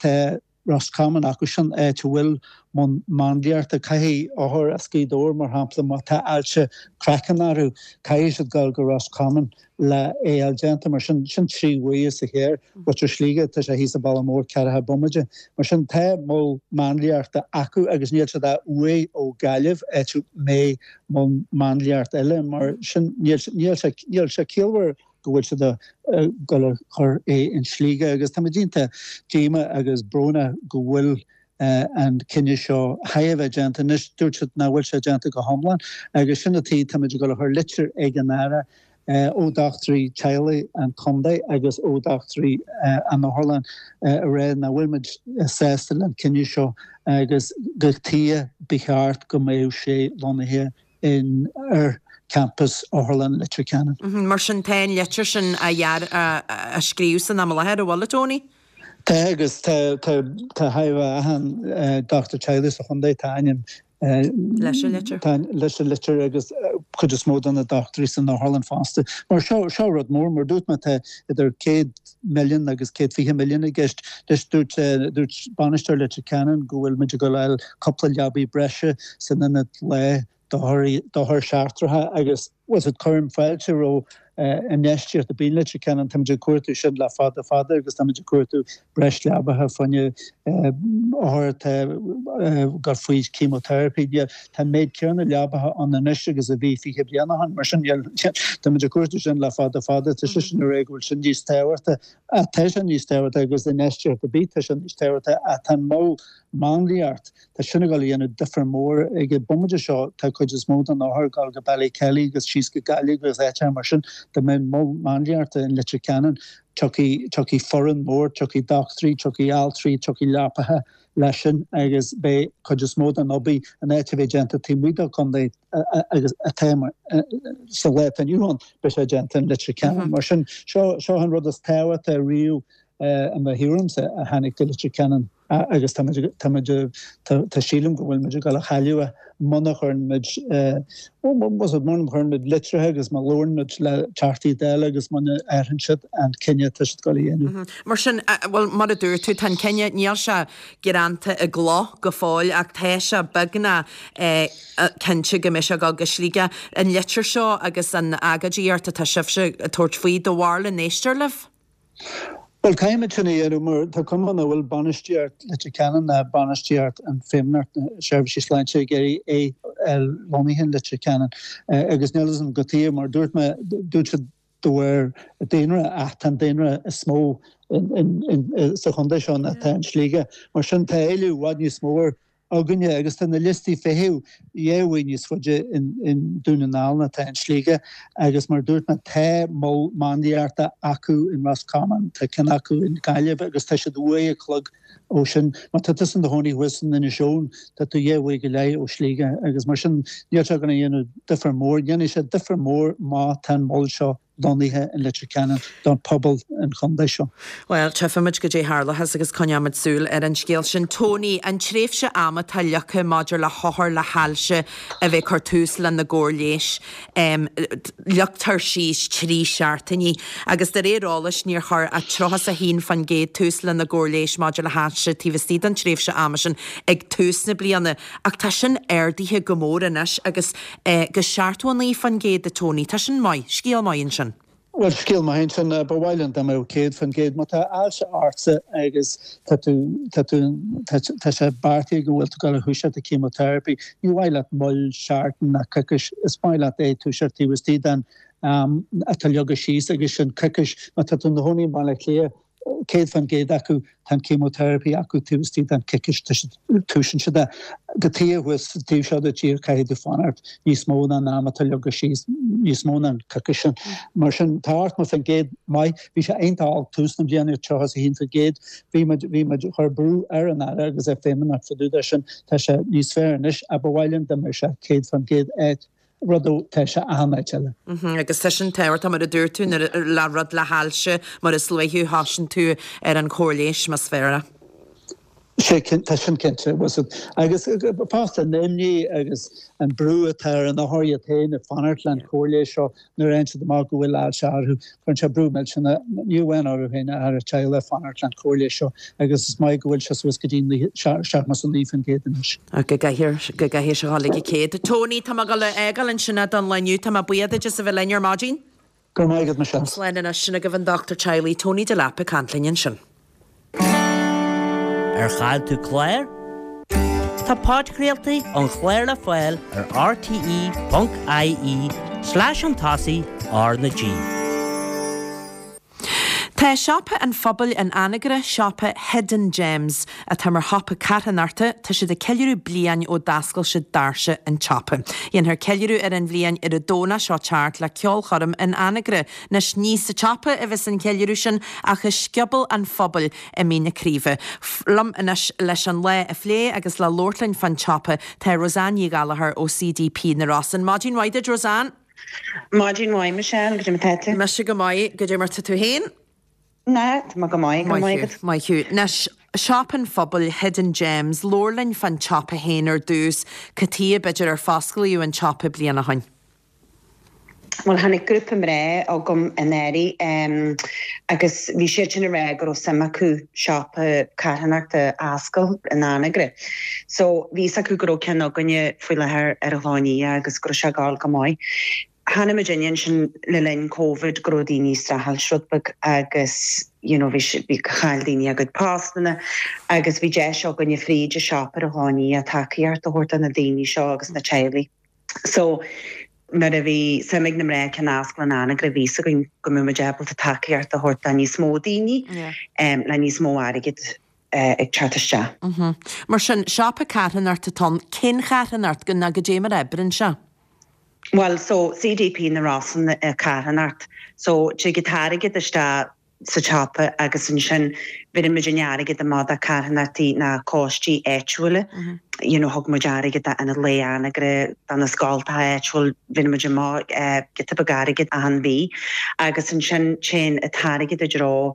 tá Roscommon acu sin áit a bhfuil mol máinliachta caithfidh othair as Gaoth Dobhair mar shampla má tá ailse craicinn orthu caithfidh siad dul go Roscommon le é a fháil déanta mar sin sin trí uair sa chéir Muintir Shligigh tá sé thíos sa Bhaile Mór ceathracha bomaite mar sin tá mol máinliachta acu agus níl siad uaidh ó Gaillimh áit a mbeidh mol máinliachta eile mar sin níl níl sé níl sé ciallmhar go bhfuil siad ag dul a chur é in Sligeach agus táimid iontach díomách agus brónach go bhfuil an cinneadh seo thar a bheith déanta. Anois dúirt siad nach bhfuil sé déanta go hiomlán agus sin an tuige táimid ag dul a chur litir ag an Aire ó dochtúirí teaghlaigh an chontae agus ó dochtúirí an otharlann a rá nach bhfuil muid sásta le an cinneadh seo agus cad tuige ba cheart go mbeadh sé lonnaithe in ar campas Otharlann Leitir Ceanainn. Mar sin tá an litir sin á á scríobh san am i láthair, an bhfuil, a Tony? Tá agus tá tá tá achan dochtúir teaghlaigh sa chontae tá ainm leis an litir. Tá leis an litir agus cuid is mó de na dochtúirí san otharlann fosta. Mar seo seo rud mór mar dúirt mé tá idir céad milliún agus céad fiche milliún i gceist. Leis dúirt dúirt bainisteoir Leitir Ceanainn go bhfuil muid ag dul a fháil cúpla leabaí breise san ionad lae d'othair seachtracha agus was it cuirim fáilte roimh infheistíocht ar bith in Leitir Ceanainn táimid ag cuartú sin le fada fada agus táimid ag cuartú breis leabaithe fá choinne othair atá ag dul faoi chemotherapy. Tá an méid céanna leabaithe ann anois agus a bhí fiche bliain ó shin mar sin táimid ag cuartú sin le fada fada tá sé sin ag rá go bhfuil sin níos tábhachtaí tá sé níos tábhachtaí agus infheistíocht ar bith tá sé níos tábhachtaí ach tá an mol máinliacht tá sin ag dul a dhéanamh difear mór ag an bomaite seo tá cuid is mó den othar ag dul go Ballykelly agus síos go Gaillimh agus áiteacha mar sin dá mbeadh mol máinliachta in Leitir Ceanainn tiocfaidh tiocfaidh foireann mór tiocfaidh dochtúirí tiocfaidh altraí tiocfaidh leapaithe leis sin agus beidh cuid is mó den obair in áit a bheith déanta taobh amuigh den chontae agus atá sa lá atá inniu ann beidh sé déanta in Leitir Ceanainn mar sin seo seo an rud is tábhachtaí riamh i mo thuairimse a tháinig go Leitir Ceanainn agus tá tá sílim go bhfuil muid ag dul a chailleadh é muna chuireann muid muna chuireann muid litrithe agus má labhrann muid le Teachtaí Dála agus muna athraíonn siad an cinneadh atá siad ag dul a dhéanamh. Mar sin, bhuel, mar a dúirt tú, tá an cinneadh, níl sé greanta i gcloch go fóill ach tá sé beagnach cinnte go mbeidh sé ag dul go Sligeach. An litir seo agus an agóidíocht atá sibhse ag tabhairt faoi, do bharúil an éistear libh? Bhuel, caithfimid sin a dhéanamh mar tá cuma nach bhfuil bainistíocht Leitir Ceanainn ná bainistíocht an Feidhmeannacht na Seirbhísí Sláinte ag iarraidh é a lonnaithe in Leitir Ceanainn agus níl a fhios agam cad tuige mar dúirt mé, dúirt siad de bharr daonra ach tá an daonra is mó sa chontae seo ná atá in Sligeach. Mar sin tá éileamh i bhfad níos mó ar againne agus tá na liostaí feithimh dhá uair níos faide in Dún na nGall ná atá in Sligeach agus mar a dúirt mé tá mol máinliachta acu in Roscommon, tá ceann acu in Gaillimh agus tá siad uair a chloig ó sin. Má tá tusa in do chónaí thuas in Inis Eoghain tá tú dhá uair go leith ó Sligeach agus mar sin níl sé going to dhéanamh difear mór. Dhéanfaidh sé difear mór má tá an mol seo lonnaithe in Leitir Ceanainn don pobal an chontae seo. Bhuel, tchífimid goidé tharlóchas agus coinneoimid súil ar an scéal sin. Tony, an tréimhse ama atá leagtha maidir le hothair le hailse a bheith ag cur tús lena gcóir leighis, leagtar síos trí seachtainí agus de réir eolais níor chuir ach tríocha is a haon faoin gcéad tús lena gcóir leighis maidir le hailse taobh istigh den tréimhse ama sin ag tús na bliana. Ach tá sin ardaithe go mór anois agus go seachtó a naoi faoin gcéad a Tony. Tá sin maith, scéal maith ansin. Bhuel, scéal maith ansin, ba mhaith linn dá mbeadh céad faoin gcéad. Má tá ailse ortsa agus tá tú, tá tú, tá sé beartaithe go bhfuil tú ag dul a thoiseacht an chemotherapy, ní mhaith leat moill seachtain ná coicís, is maith leat é toiseacht taobh istigh den am atá leagtha síos agus sin coicís. Má tá tú i do chónaí i mBaile Átha Cliath, céad faoin gcéad acu, tá an chemotherapy acu taobh istigh den choicís, toisíonn siad é. Cad chuige thuas sa taobh seo den tír caithfidh tú fanacht níos mó ná an am atá leagtha síos, níos mó ná an coicís sin. Mar sin, tá ochtó faoin gcéad maith. Bhí sé iontach olc tús na bliana, tríocha is a haon faoin gcéad. Bhí muid, bhí muid, chuir brú ar an Aire agus ar Feidhmeannacht fá dtaobh de sin. Tá sé níos fearr anois ach ba mhaith linn dá mbeadh sé céad faoin gcéad áit. rud atá sé achan áit eile. Agus tá sin tábhachtach mar a dúirt tú nuair le rud le hailse mar is luaithe a thosaíonn tú ar an chóir leighis más fearr é. Sé tá sin cinnte agus fosta an imní agus an brú atá ar an othar iad féin ag fanacht leis an chóir leighis seo nuair a fhaigheann siad amach go bhfuil ailse orthu, cuireann sé brú millteanach ní amháin orthu féin ach ar a teaghlach fanacht leis an chóir leighis seo agus is maith go bhfuil sé suas go dtí seachtó is a naoi faoin gcéad anois. Go gcaithfidh go gcaithfidh sé dhul ag an céad. Tony, tá mé ag dul a fhágáil ansin don lá inniu, tá mé buíoch duit as a bheith linn ar maidin. Go raibh maith agat, Michelle. Slán anois, sin agaibh an dochtúir teaghlaigh Tony Delap ag caint linn ansin. Ar chaill tú clár? Tá podchraoltaí an chláir le fáil ar rte ponc ie slash chun tosaigh R na G. Tá Siopa an Phobail in Anagaire, siopa Hidden Gems, atá mar shiopa carthanachta, tá siad ag ceiliúradh bliain ó d'oscail siad doirse an tsiopa. Dhéanfar ceiliúradh ar an bhliain ar an Domhnach seo teacht le ceolchoirm in Anagaire. Anois ní sa tsiopa a bheas an ceiliúradh sin ach i Scioból an Phobail i Mín na Craoibhe. Liom anois leis an lá a phlé agus le labhairt linn fán tsiopa tá Roseanne Ní Ghallchóir ó CDP na Rosann. Maidin mhaith duit Roseanne! Maidin mhaith Michelle, goidé mar tá tú? Mise go maith, goidé mar tá tú féin? Ná, tá mé go maith, go maith agat. Maith thú. Anois, Siopa an Phobail, Hidden Gems, labhair linn fán tsiopa féin ar dtús, cad chuige b'fhéidir ar fosclaíodh an tsiopa bliain ó shoin? Bhuel, tháinig grúpa mná chugam anuraidh agus bhí siad sin ag rá go raibh suim acu siopa carthanachta a oscailt in Anagaire. So, bhí fhios acu go raibh ceann againne faoi láthair ar an Chlochán Liath agus go raibh sé ag gabháil go maith. Chonaic muidinne ansin le linn Covid go raibh daoine ag streachailt rud beag agus you know bhí bhí chaill daoine a gcuid postanna agus bhí deis againne fríd an siopa ar an Chlochán Liath tacaíocht a thabhairt do na daoine seo agus na teaghlaigh. So nuair a bhí suim ag na mná ceann a oscailt in Anagaire bhí fhios againn go mbeadh muid ábalta tacaíocht a thabhairt do níos mó daoine le níos mó airgid ag teacht isteach. Mar sin, siopa carthanachta atá ann, cén charthanacht nó goidé mar a oibríonn sé? Bhuel, so CDP na Rosann carthanacht. So tig an t-airgead isteach sa tsiopa agus ansin bheireann muid an airgead amach do carthanachtaí ná coistí áitiúla. You know, thug muid airgead d'Ionad Lae Anagaire, do na scoltacha áitiúil, bheireann muid amach giota beag airgid achan mhí. Agus ansin téann an t-airgead i dtreo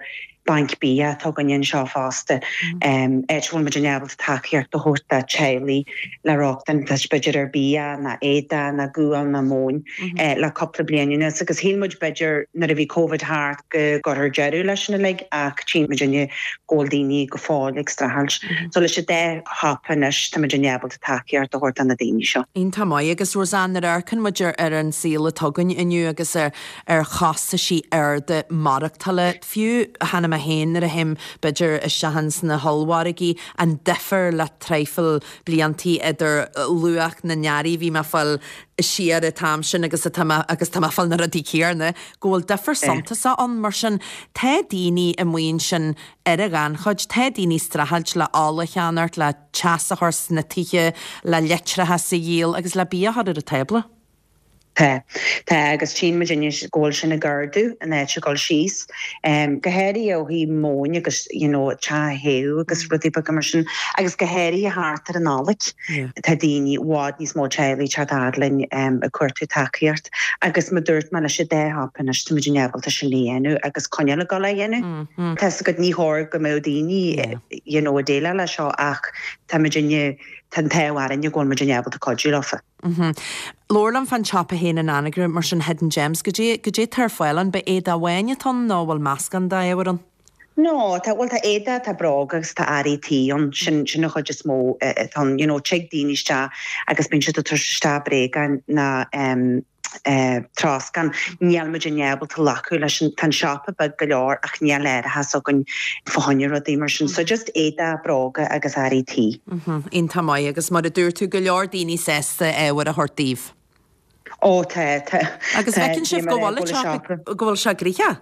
banc bia atá againne anseo fosta, áit a bhfuil muid ábalta tacaíocht a thabhairt do teaghlaigh le rochtain b'fhéidir ar bia ná éadaí ná gual ná móin le cúpla bliain anuas agus shíl muid b'fhéidir nuair a bhí Covid thart go gcuirfear deireadh leis sin uilig ach tchíonn muid inniu go bhfuil daoine go fóill ag streachailt. So leis an dá shiopa anois tá muid ábalta tacaíocht a thabhairt do na daoine seo. Iontach maith agus Roseanne nuair a amharcann muid ar ar an saol atá againn inniu agus ar ar chostaisí arda maireachtála, fiú cheana mé féin nuair a théim b'fhéidir isteach ins na hollmhargaí, an difear le traidhfil bliantaí idir luach na n-earraí a bhí mé ag fáil siar an t-am sin agus atá mé agus tá mé ag fáil na rudaí céanna, go bhfuil difear suntasach ann. Mar sin, tá daoine amuigh ansin ar an ghannchuid, tá daoine ag streachailt le ola a cheannacht, le teas a chur sna tithe, le leictreachas a dhíol agus le bia a chur ar an tábla. Tá. Tá, agus tchíonn muid anois go bhfuil sin ag ardú in áit a dhul síos. Go háirithe ó thaobh móin agus you know teach a théamh agus rudaí beaga mar sin agus go háirithe thart ar an Nollaig. Tá daoine, i bhfad níos mó teaghlaigh ag teacht fhad linn ag cuartú tacaíocht agus mar dúirt mé leis an dá shiopa anois tá muid ábalta sin a dhéanamh agus coinneáil ag dul á dhéanamh. Tá fhios agat ní chóir go mbeadh daoine you know ag déileáil leis seo ach tá muid tá an t-ádh orainne go bhfuil muid ábalta cuidiú leofa. Labhair liom fán tsiopa féin in Anagaire, mar sin Hidden Gems, goidé, goidé atá ar fáil ann, ab éadach amháin atá ann nó bhfuil meascán d'ábhair ann? No, tá, bhuel tá éadaí, tá bróga agus tá earraí tí ann, sin, sin an chuid is mó atá ann, you know, tig daoine isteach agus bíonn siad ag tabhairt isteach bréagáin ná em, Troscán, níl muid in ábalta glacadh leis an, tá an siopa beag go leor ach níl árachas againn fá choinne rudaí mar sin. So just éadaí, bróga agus earraí tí. Iontach maith agus mar a dúirt tú go leor daoine sásta ábhar a thabhairt daoibh. Ó tá, tá. Agus feiceann sibh go bhfuil go bhfuil sé gnoitheach?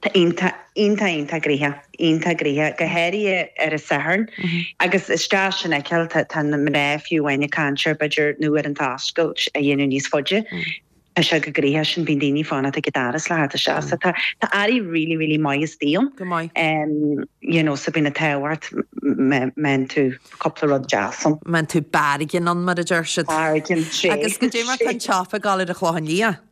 Tá iontach, iontach, iontach gnoitheach, iontach gnoitheach, go háirithe ar an Satharn. Agus is deas sin a fheiceáil, tá tá na mná fiú amháin ag caint ar b'fhéidir nó ar an oscailt a dhéanamh níos faide. Tá sé go gnoitheach sin, bíonn daoine fanacht ag an doras le theacht isteach. So tá tá earraí really, really maith istigh ann. Go maith. You know, so bíonn an t-ádh ort má fhaigheann tú cúpla rud deas ann. Má fhaigheann tú bargain ann, mar a deir siad. Bargain, sé. Agus goidé mar tá an tsiopa ag dul ar an Chlochán Liath?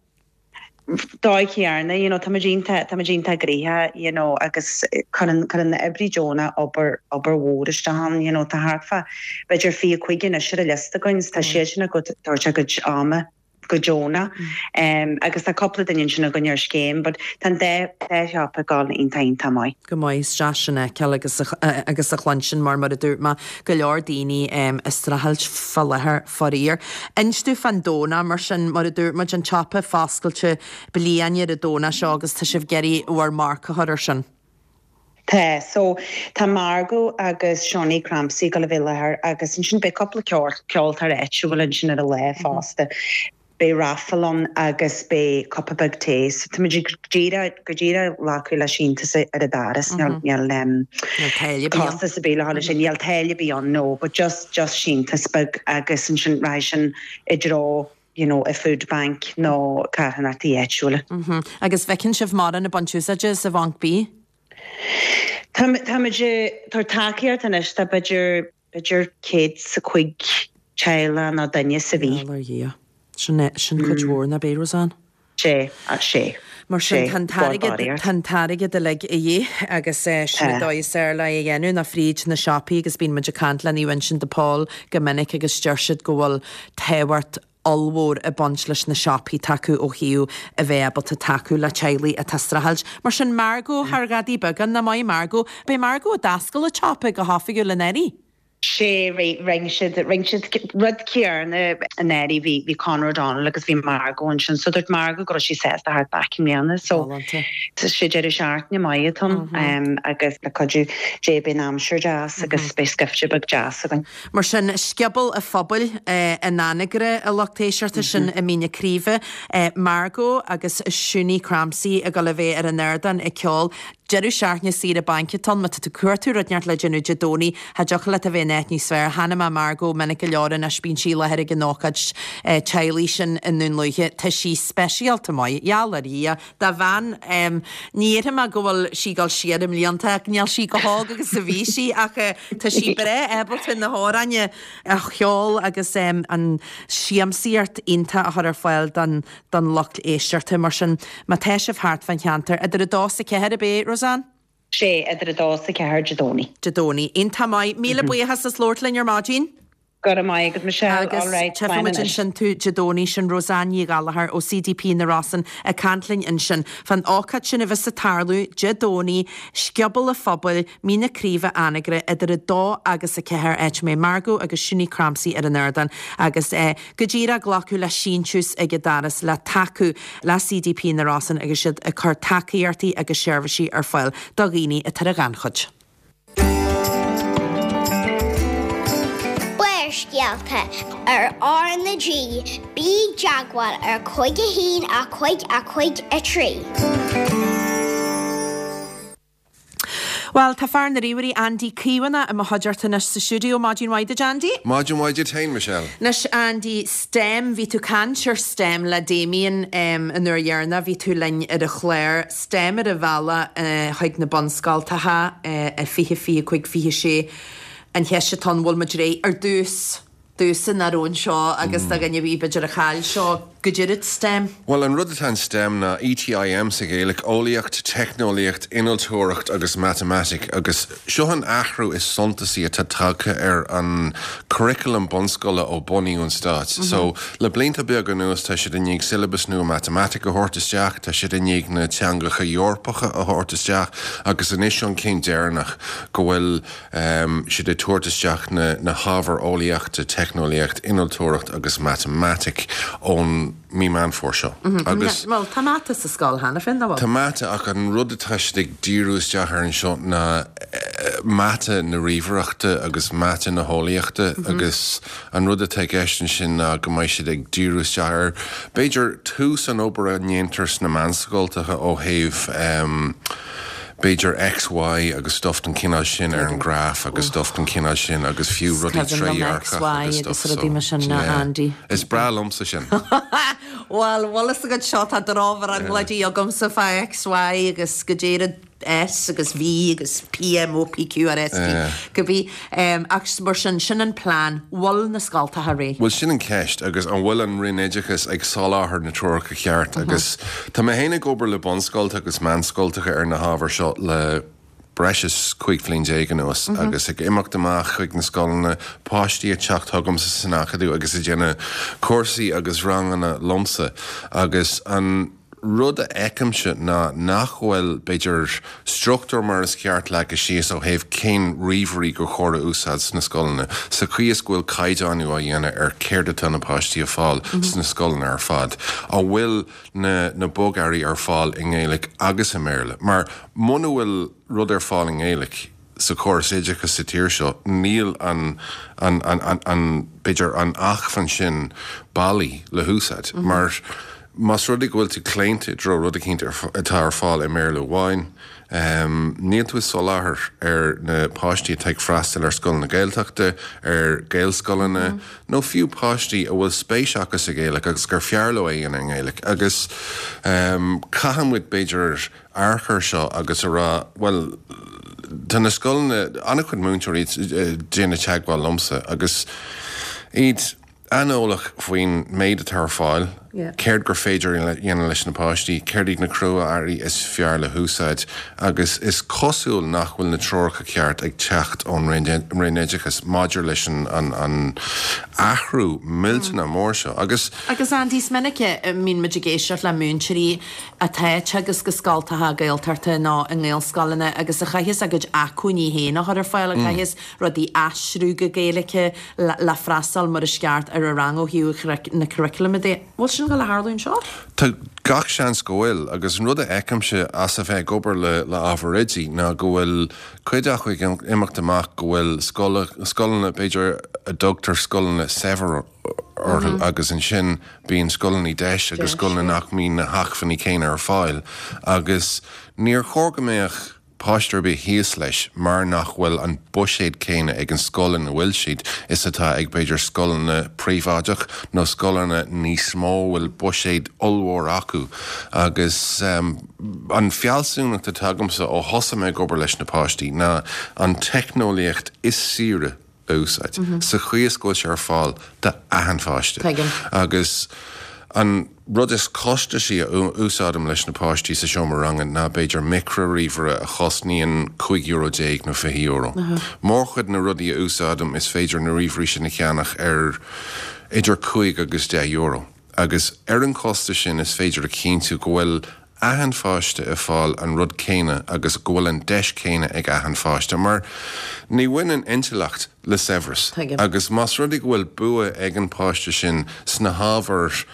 Dóigh chéanna, you know, tá muid iontach, tá muid iontach gnoitheach, you know, agus cuireann, cuireann na oibrithe deonacha obair, obair mhór isteach ann, you know, tá thart fá b'fhéidir fiche cúig anois ar an liosta againn, tá siad sin ag tabhairt a gcuid ama go deonach, um, agus tá cúpla duine ansin againn ar scéim, but tá an dá, dá shiopa ag dul iontach, iontach maith. Go maith, is deas sin a fheiceáil agus a, agus a chluinstin mar, mar a dúirt mé, go leor daoine um, ag streachailt fá láthair faraor. Inis dúinn fán Domhnach mar sin, mar a dúirt muid, an tsiopa foscailte bliain ar an Domhnach seo agus tá sibh ag iarraidh bhur marc a chur ar sin. Tá, so tá Margot agus Seánie Crampsey ag dul a bheith i láthair agus ansin beidh cúpla ceol, ceoltóir áitiúil ansin ar an lá fosta. Beidh raffle ann agus beidh cupa beag tae. So tá muid go díreach, go díreach glacadh le síntiús ar an doras. Níl, níl um, Níl táille ar bith ann. costas ar bith le dhul leis sin. Níl táille ar bith ann, no, but just, just síntiús beag agus ansin rachaidh sin i dtreo, you know, a food bank nó carthanachtaí áitiúla. Agus feiceann sibh mórán ag baint úsáide as an bhanc bídh? Tá tá muid ag tabhairt tacaíocht anois tá b'fhéidir, b'fhéidir céad is a cúig teaghlach nó duine sa mhí. Gheall ar Dhia. Sin é, sin cuid mhór nach b'é, Roseanne? Sé, sé. Mar sin Sé, tá an t-airgead, barr tá an t-airgead uilig a dhíth agus sin an Tá. dóigh is fearr le é a dhéanamh ná fríd na siopaí agus bíonn muid ag caint le Naomh Uinseann de Pól go minic agus deir siad go bhfuil tábhacht ollmhór ag baint leis na siopaí atá acu ó thaobh a bheith ábalta tacú le teaghlaigh atá ag streachailt. Mar sin Margot thar ghadaí beagán nach maith Margot, beidh Margot ag d'oscail an tsiopa go hoifigiúil anuraidh. Sé rinne siad rinne siad rud céanna anuraidh bhí bhí Conor O'Donnell agus bhí Margot ansin so dúirt Margot go raibh sí sásta theacht back i mbliana so Galánta. Tá sé deireadh seachtaine maith atá ann agus le cuidiú Dé beidh an aimsir deas agus beidh scaifte beag deas againn. Mar sin Scioból an Phobail in Anagaire a lucht éisteachta sin i Mín na Craoibhe, Margot agus Siún Crampsey ag dul a bheith ar an ardán ag ceol. Deireadh seachtaine saoire bainc atá ann, má tá tú ag cuartú rud inteacht le déanamh Dé Domhnaigh, cha dtiocfadh leat a bheith in áit níos fearr. Chonaic mé Margot minic go leor anois bíonn sí i láthair ag an ócáid teaghlaigh sin i nDún Lúiche. Tá sí speisialta maith, gheall ar Dhia. Do bhean, ní déarfaidh mé go bhfuil sí ag dul siar i mblianta ach níl sí chomh hóg agus a bhí sí ach tá sí breá ábalta na hamhráin a cheol agus an siamsaíocht iontach a chur ar fáil don don lucht éisteachta. Mar sin má tá sibh thart fán cheantar idir a dó is a ceathair ab é, Roseanne? Sé idir a dó is a ceathair Dé Domhnaigh. Dé Domhnaigh. Iontach maith. Míle buíochas as labhairt linn ar maidin. Go raibh maith agat Michelle. Agus All right, tchífidh muid ansin tú Dé Domhnaigh sin Roseanne Ní Ghallchóir ó CDP na Rosann ag caint linn ansin fán ócáid sin a bheas ag tarlú Dé Domhnaigh, Scioból an Phobail, Mín na Craoibhe Anagaire idir a dó agus a ceathair áit a mbeidh Margot agus Siún Crampsey ar an ardán agus eh, go díreach glacadh le síntiús ag an doras le tacú le CDP na Rosann agus siad ag cur tacaíochtaí agus seirbhísí ar fáil do dhaoine atá ar an ghannchuid. Barrscéalta ar R na G, bí i dteagmháil ar cúig a haon a cúig a cúig a trí. Well, tá fear na ríomhairí Andy Caomhánach i mo chuideachta anois sa stiúideo Maidin mhaith duit Andy? Maidin mhaith duit féin Michelle. Anois Andy, STEM, bhí tú ag caint ar STEM le Damien um, an uair dheireanach, bhí tú linn ar an chlár STEM ar a bhealach uh, chuig na bunscoltacha uh, fiche fiche cúig fiche sé an cheist atá ann bhfuil muid réidh ar dtús dúsa nach raibh anseo agus do dhuine ar bith b'fhéidir a chaill seo goidé rud STEM. Well an rud atá in STEM ná ETIM sa Ghaeilge, eolaíocht, teicneolaíocht, innealtóireacht agus matamaitic agus seo an athrú is suntasaí atá tagtha ar an curriculum bunscoile ó bunaíodh an stát. Mm -hmm. So le blianta beaga anuas tá siad i ndiaidh syllabus nua matamaitic a thabhairt isteach, tá siad i ndiaidh na teangacha Eorpacha a thabhairt isteach agus anois an céim deireanach go bhfuil um, siad ag tabhairt isteach na, na hábhair eolaíochta, teicneolaíocht, innealtóireacht agus matamaitic ón ón mí Meán Fómhair seo. Agus Bhuel, tá mata sa scoil cheana féin, nach bhfuil? Tá mata ach an rud atá siad ag díriú isteach ar anseo ná mata na ríomhaireachta agus mata na heolaíochta agus an rud atá i gceist ansin ná go mbeidh siad ag díriú isteach ar b'fhéidir tús an obair a ndéantar sna meánscoltacha ó thaobh b'fhéidir X, Y agus stuff den chineál sin ar an graf agus stuff den chineál sin agus fiú rudaí trédhearcach agus stuff so. Yeah. Is breá liomsa sin. Well, bhfuil fhios agat seo tá drochbhrionglóidí agamsa fá X, Y agus go deireadh S agus V agus P M O P Q R S T cibé ach mar sin sin an plean bhfuil na scoltacha réidh. Bhuel sin an ceist agus an bhfuil an Roinn Oideachais ag soláthar na treoracha ceart agus tá mé féin ag obair le bunscoltacha agus meánscoltacha ar na hábhair seo le breis is cúig bhliain déag anuas agus ag imeacht amach chuig na scoileanna, páistí ag teacht chugamsa san Acadamh agus ag déanamh cúrsaí agus ranganna liomsa agus an rud a fheicimse ná nach bhfuil, b'fhéidir, struchtúr mar is ceart leagtha síos ó thaobh cén ríomhairí gur chóir a úsáid sna scoileanna, sa chaoi is go bhfuil caighdeánú á dhéanamh ar céard atá na páistí a fáil sna scoileanna ar fad. An bhfuil na na bogearraí ar fáil i nGaeilge agus i mBéarla? Mar muna bhfuil rud ar fáil i nGaeilge sa chóras oideachais sa tír seo, níl an, an, an, an, an, b'fhéidir, an acmhainn sin bailí le húsáid. Mar más rud é go bhfuil tú claonta i dtreo rud eicínt atá ar fáil i mBéarla amháin, níl tú ag soláthar ar na páistí atá ag freastal ar scoileanna Gaeltachta, ar Ghaelscoileanna, nó fiú páistí a bhfuil spéis acu sa Ghaeilge agus gur fearr leo é a dhéanamh i nGaeilge. Agus caithfidh muid, b'fhéidir, amharc air seo agus a rá, bhuel, tá na scoileanna, an-chuid múinteoirí ag déanamh teagmháil liomsa agus iad, an-eolach faoin méid atá ar fáil, céard gur féidir a dhéanamh leis na páistí, céard iad na crua-earraí is fearr le húsáid agus is cosúil nach bhfuil na treoracha ceart ag teacht ón Roinn Oideachais maidir leis an athrú millteanach mór seo agus. Agus Andy, is minic a mbíonn muid ag éisteacht le múinteoirí atá ag teagasc i scoltacha Gaeltachta nó i nGaelscoileanna agus a chaithfeas a gcuid acmhainní féin a chur ar fáil, a chaithfeas rudaí a aistriú go Gaeilge le freastal mar is ceart ar a rang ó thaobh na curaclaim de. Bhfuil sin ag gabháil a tharlú anseo? Tá gach seans go bhfuil, agus an rud a fheicimse as a bheith ag obair le le ábhar oidí ná go bhfuil cuid acu ag imeacht amach go bhfuil scoileanna, b'fhéidir a dtugtar scoileanna saibhir orthu agus ansin bíonn scoileanna deis agus scoileanna nach mbíonn na hacmhainní céanna ar fáil agus níor chóir go mbeadh páiste ar bith thíos leis mar nach bhfuil an buiséad céanna ag an scoil ina bhfuil siad is atá ag b'fhéidir scoileanna príobháideach nó scoileanna níos mó a bhfuil buiséad ollmhór acu agus an fealsúnacht atá agamsa ó thosaigh mé ag obair leis na páistí ná an teicneolaíocht is saoire a úsáid sa chaoi is go bhfuil sé ar fáil d'achan pháiste agus an rud is costasaí a úsáidim leis na páistí sa seomra ranga ná b'fhéidir micrea-ríomhaire a chosnaíonn cúig euro déag nó fiche euro. Mórchuid na rudaí a úsáidim is féidir na ríomhairí sin a cheannach ar idir cúig agus deich euro. Agus ar an chostas sin is féidir a chinntiú go bhfuil achan pháiste ag fáil an rud céanna agus go bhfuil an deis céanna ag achan pháiste mar ní bhaineann intleacht le saibhreas agus más rud é go bhfuil bua ag an páiste sin sna hábhair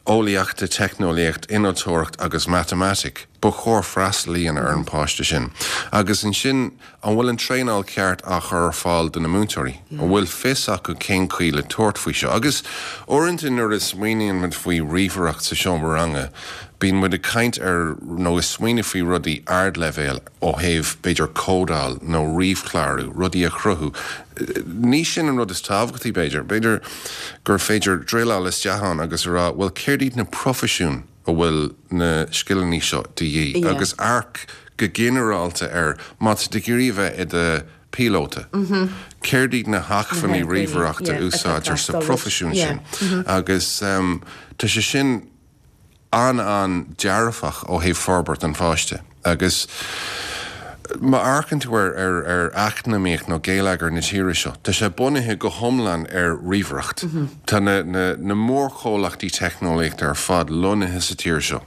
eolaíochta, teicneolaíocht, innealtóireacht agus matamaitic, ba chóir freastal a dhéanamh ar an páiste sin. Agus ansin, an bhfuil an traenáil ceart á chur ar fáil do na múinteoirí? An bhfuil fios acu cén chaoi le tabhairt faoi seo? Agus uaireanta nuair a smaoiníonn muid faoi ríomhaireacht sa seomra ranga, bíonn muid ag caint ar nó ag smaoineamh faoi rudaí ardleibhéil ó thaobh, b'fhéidir, códáil nó ríomhchlárú, rudaí a chruthú. Ní sin an rud is tábhachtaí, b'fhéidir. B'fhéidir gur féidir druileáil isteach ann agus a rá, bhuel, céard iad na proifisiúin a bhfuil na scileanna seo de dhíth? Agus amharc go ginearálta ar, má tá tú ag iarraidh a bheith i do phíolóta, céard iad na hacmhainní ríomhaireachta a úsáidtear sa phroifisiún sin? Agus tá sé sin an-an-dearfach ó thaobh forbairt an pháiste agus má amharcann tú ar ar ar eacnamaíocht nó geilleagar na tíre seo, tá sé bunaithe go hiomlán ar ríomhaireacht. Tá na na na mórchomhlachtaí teicneolaíochta ar fad lonnaithe sa tír seo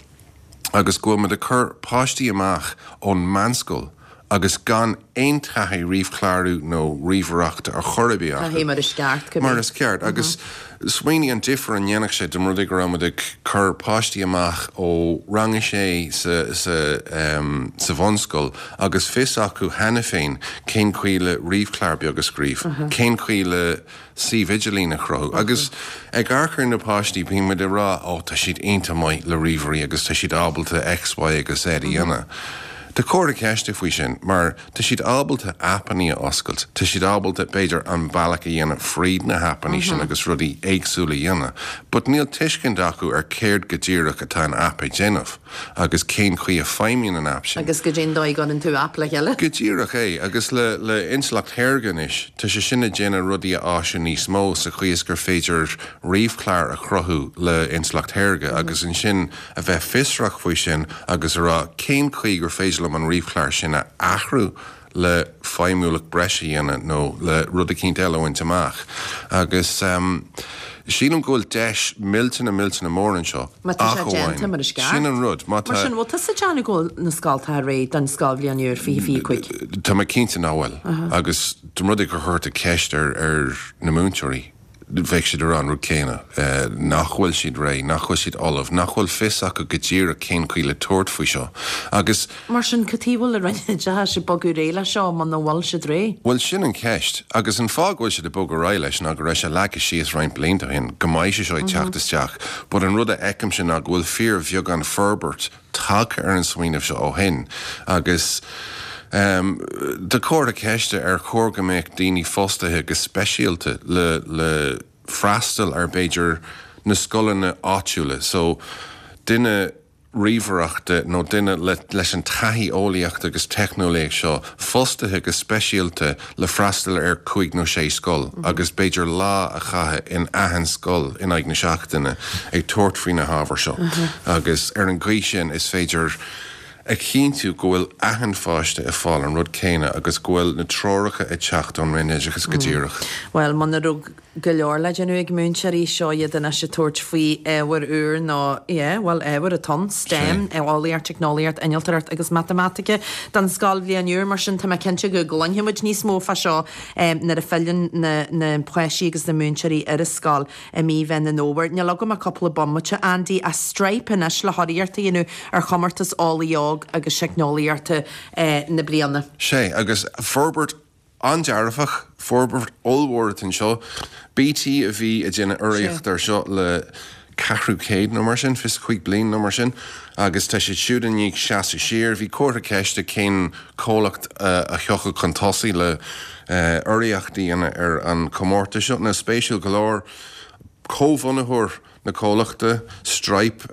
agus go bhfuil muid ag cur páistí amach ón meánscoil agus gan aon taithí ríomhchlárú nó ríomhaireachta ar chor ar bith acu. Mar is ceart. Mar is ceart agus smaoinigh an difear a ndéanfadh sé dá mba rud é go raibh muid ag cur páistí amach ó rang a sé sa sa sa bhunscoil agus fios acu cheana féin cén chaoi le ríomhchlár beag a scríobh, cén chaoi le suíomh idirlín a chruthú. Agus ag amharc ar na páistí bíonn muid ag rá ó tá siad iontach maith le ríomhairí agus tá siad ábalta X, Y agus Z a dhéanamh. Tá comhartha ceiste faoi sin mar tá siad ábalta aipeanna a oscailt, tá siad ábalta b'fhéidir an bealach a dhéanamh fríd na haipeanna sin agus rudaí éagsúla a dhéanamh, but níl tuiscint acu ar céard go díreach atá an aip ag déanamh agus cén chaoi a feidhmíonn an aip sin. Agus go dtéann dóigh gan tú aip le chéile. Go díreach é agus le le intleacht shaorga anois, tá sé sin ag déanamh rudaí a áisiú níos mó sa chaoi is gur féidir ríomhchlár a chruthú le intleacht shaorga agus ansin a bheith fiosrach faoi sin agus a rá cén chaoi gur féidir liom an ríomhchlár sin a athrú le feidhmiúlacht breise a dhéanamh nó le rud eicínt eile a bhaint amach. Agus um, sílim go bhfuil deis millteanach millteanach mór anseo. Má tá sé déanta mar is ceart. Sin an rud. Má Mar sin bhfuil tusa ag déanamh go bhfuil na scoltacha réidh don scoilbhliain úr fiche fiche cúig. Tá mé cinnte nach bhfuil. Agus dá mba rud é gur chuir tú ceist ar ar na múinteoirí. bheadh siad ag rá an rud céanna, nach bhfuil siad réidh, nach bhfuil siad ullamh, nach bhfuil fios acu go díreach cén chaoi le tabhairt faoi seo. Agus. Mar sin, cad chuige a bhfuil an Roinn Oideachais ag bogadh ar aghaidh leis seo muna bhfuil siad réidh? Bhuel, sin an cheist. Agus an fáth go bhfuil siad ag bogadh ar aghaidh leis ná go raibh sé leagtha síos roinnt blianta ó shin go mbeidh sé seo ag teacht isteach. But an rud a fheicimse ná go bhfuil fíorbheagán forbairt tagtha ar an smaoineamh seo ó shin. Agus tá comhartha ceiste ar chóir go mbeadh daoine fostaithe go speisialta le le freastal ar b'fhéidir na scoileanna áitiúla. So duine ríomhaireachta nó duine le leis an taithí eolaíochta agus teicneolaíocht seo fostaithe go speisialta le freastal ar cúig nó sé scoil agus b'fhéidir lá a chaitheamh in achan scoil in aghaidh na seachtaine ag tabhairt faoi na hábhair seo. Agus ar an gcaoi sin is féidir a chinntiú go bhfuil achan pháiste ag fáil an rud céanna agus go bhfuil na treoracha ag teacht ón Roinn Oideachais go díreach. Bhuel, muna raibh go leor le déanamh ag múinteoirí, seo iad anois ag tabhairt faoi ábhair úr nó, yeah, bhuel, ábhair atá ann, STEM, eolaíocht, teicneolaíocht, innealtóireacht agus matamaitice don scoilbhliain úr. Mar sin, tá mé cinnte go gcluinfidh muid níos mó fá seo nuair a filleann na na páistí agus na múinteoirí ar an scoil i mí Mheán an Fhómhair. Níl agam ach cúpla bomaite, Andy, ach Stripe anois le hurraíocht a dhéanamh ar chomórtas Eolaí Óg agus Teicneolaíochta na bliana. Sea, agus forbairt an-dearfach, forbairt ollmhór atá anseo. BT a bhí ag déanamh urraíocht air seo le ceathrú céad nó mar sin, fiche cúig bliain nó mar sin, agus tá siad siúd i ndiaidh seasamh siar. Bhí comhartha ceiste cén comhlacht a thiocfadh chun tosaigh le urraíocht a dhéanamh ar an chomórtas seo. Now, spéisiúil go leor, comhbhunaitheoir na comhlachta, Stripe,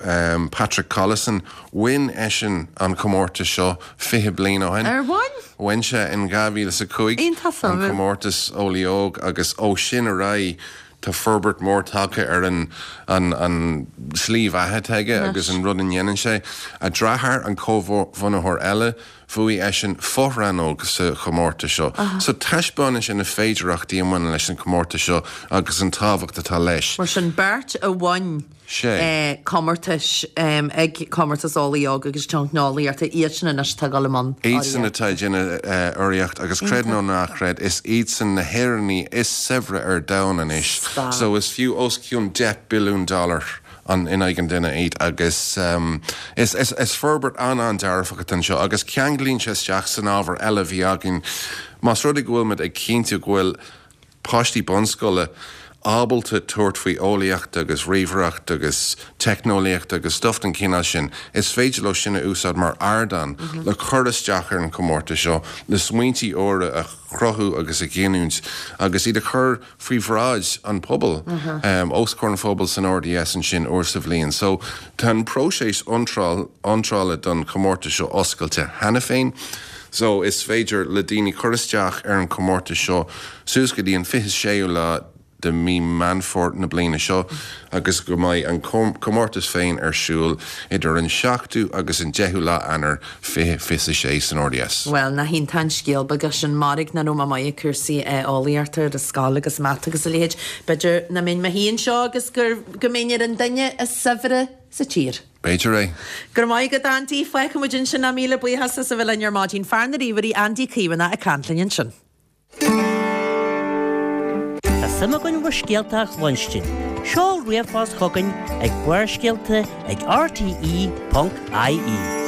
Patrick Collison, bhain eisean an comórtas seo fiche bliain ó shin. Ar bhain? Bhain sé in dhá mhíle is a cúig an comórtas Eolaí Óg agus ó sin ar aghaidh tá forbairt mhór tagtha ar an an an slí bheatha atá aige agus an rud a ndéanann sé. A dheartháir, an comhbhunaitheoir eile, bhuaigh eisean fo-rannóg sa chomórtas seo. So taispeánann sé na féidearthachtaí a mbaineann leis an chomórtas seo agus an tábhacht atá leis. Mar sin, beirt a bhain comórtais ag Comórtas Eolaí Óg agus Teicneolaíochta, iadsan anois atá ag dul i mbun urraíochta. Iadsan atá ag déanamh urraíocht agus creid nó ná creid, is iadsan na hÉireannaigh is saibhre ar domhan anois. So is fiú os cionn deich billiún dollar in aghaidh an duine iad agus is is forbairt an-an-dearfach atá anseo agus ceanglaíonn sé isteach san ábhar eile a bhí againn. Más rud é go bhfuil muid ag cinntiú go bhfuil páistí bunscoile ábalta tabhairt faoi eolaíocht agus ríomhaireacht agus teicneolaíocht agus stuff den chineál sin, is féidir leo sin a úsáid mar ardán le cur isteach ar an chomórtas seo, le smaointí úra a chruthú agus a ghiniúint agus iad a chur faoi bhráid an phobail, os comhair an phobail san RDS ansin uair sa bhliain. So tá an próiseas iontrála don chomórtas seo oscailte cheana féin. So is féidir le daoine cur isteach ar an chomórtas seo suas go dtí an fiche séú lá de mí Meán Fómhair na bliana seo agus go mbeidh an comórtas féin ar siúl idir an seachtú agus an deichiú lá Eanáir fiche fiche a sé san RDS. Bhuel, nach iontach an scéal beag é sin, mairg nach raibh mé maith ag cúrsaí eolaíochta ar an scoil agus mata agus a leithéid. B'fhéidir nach mbeinn mé féin anseo agus gur go mbeinn ar an duine is saibhre sa tír. B'fhéidir é. Go raibh maith agat Andy, fágfaidh muid ansin é míle buíochas as a bheith linn ar maidin. Fear na ríomhairí Andy Caomhánach ag caint linn ansin. Tá suim againn bhur scéalta a chluinstin. Seol ríomhphost chugainn ag Barrscéalta ag RTE ponc IE.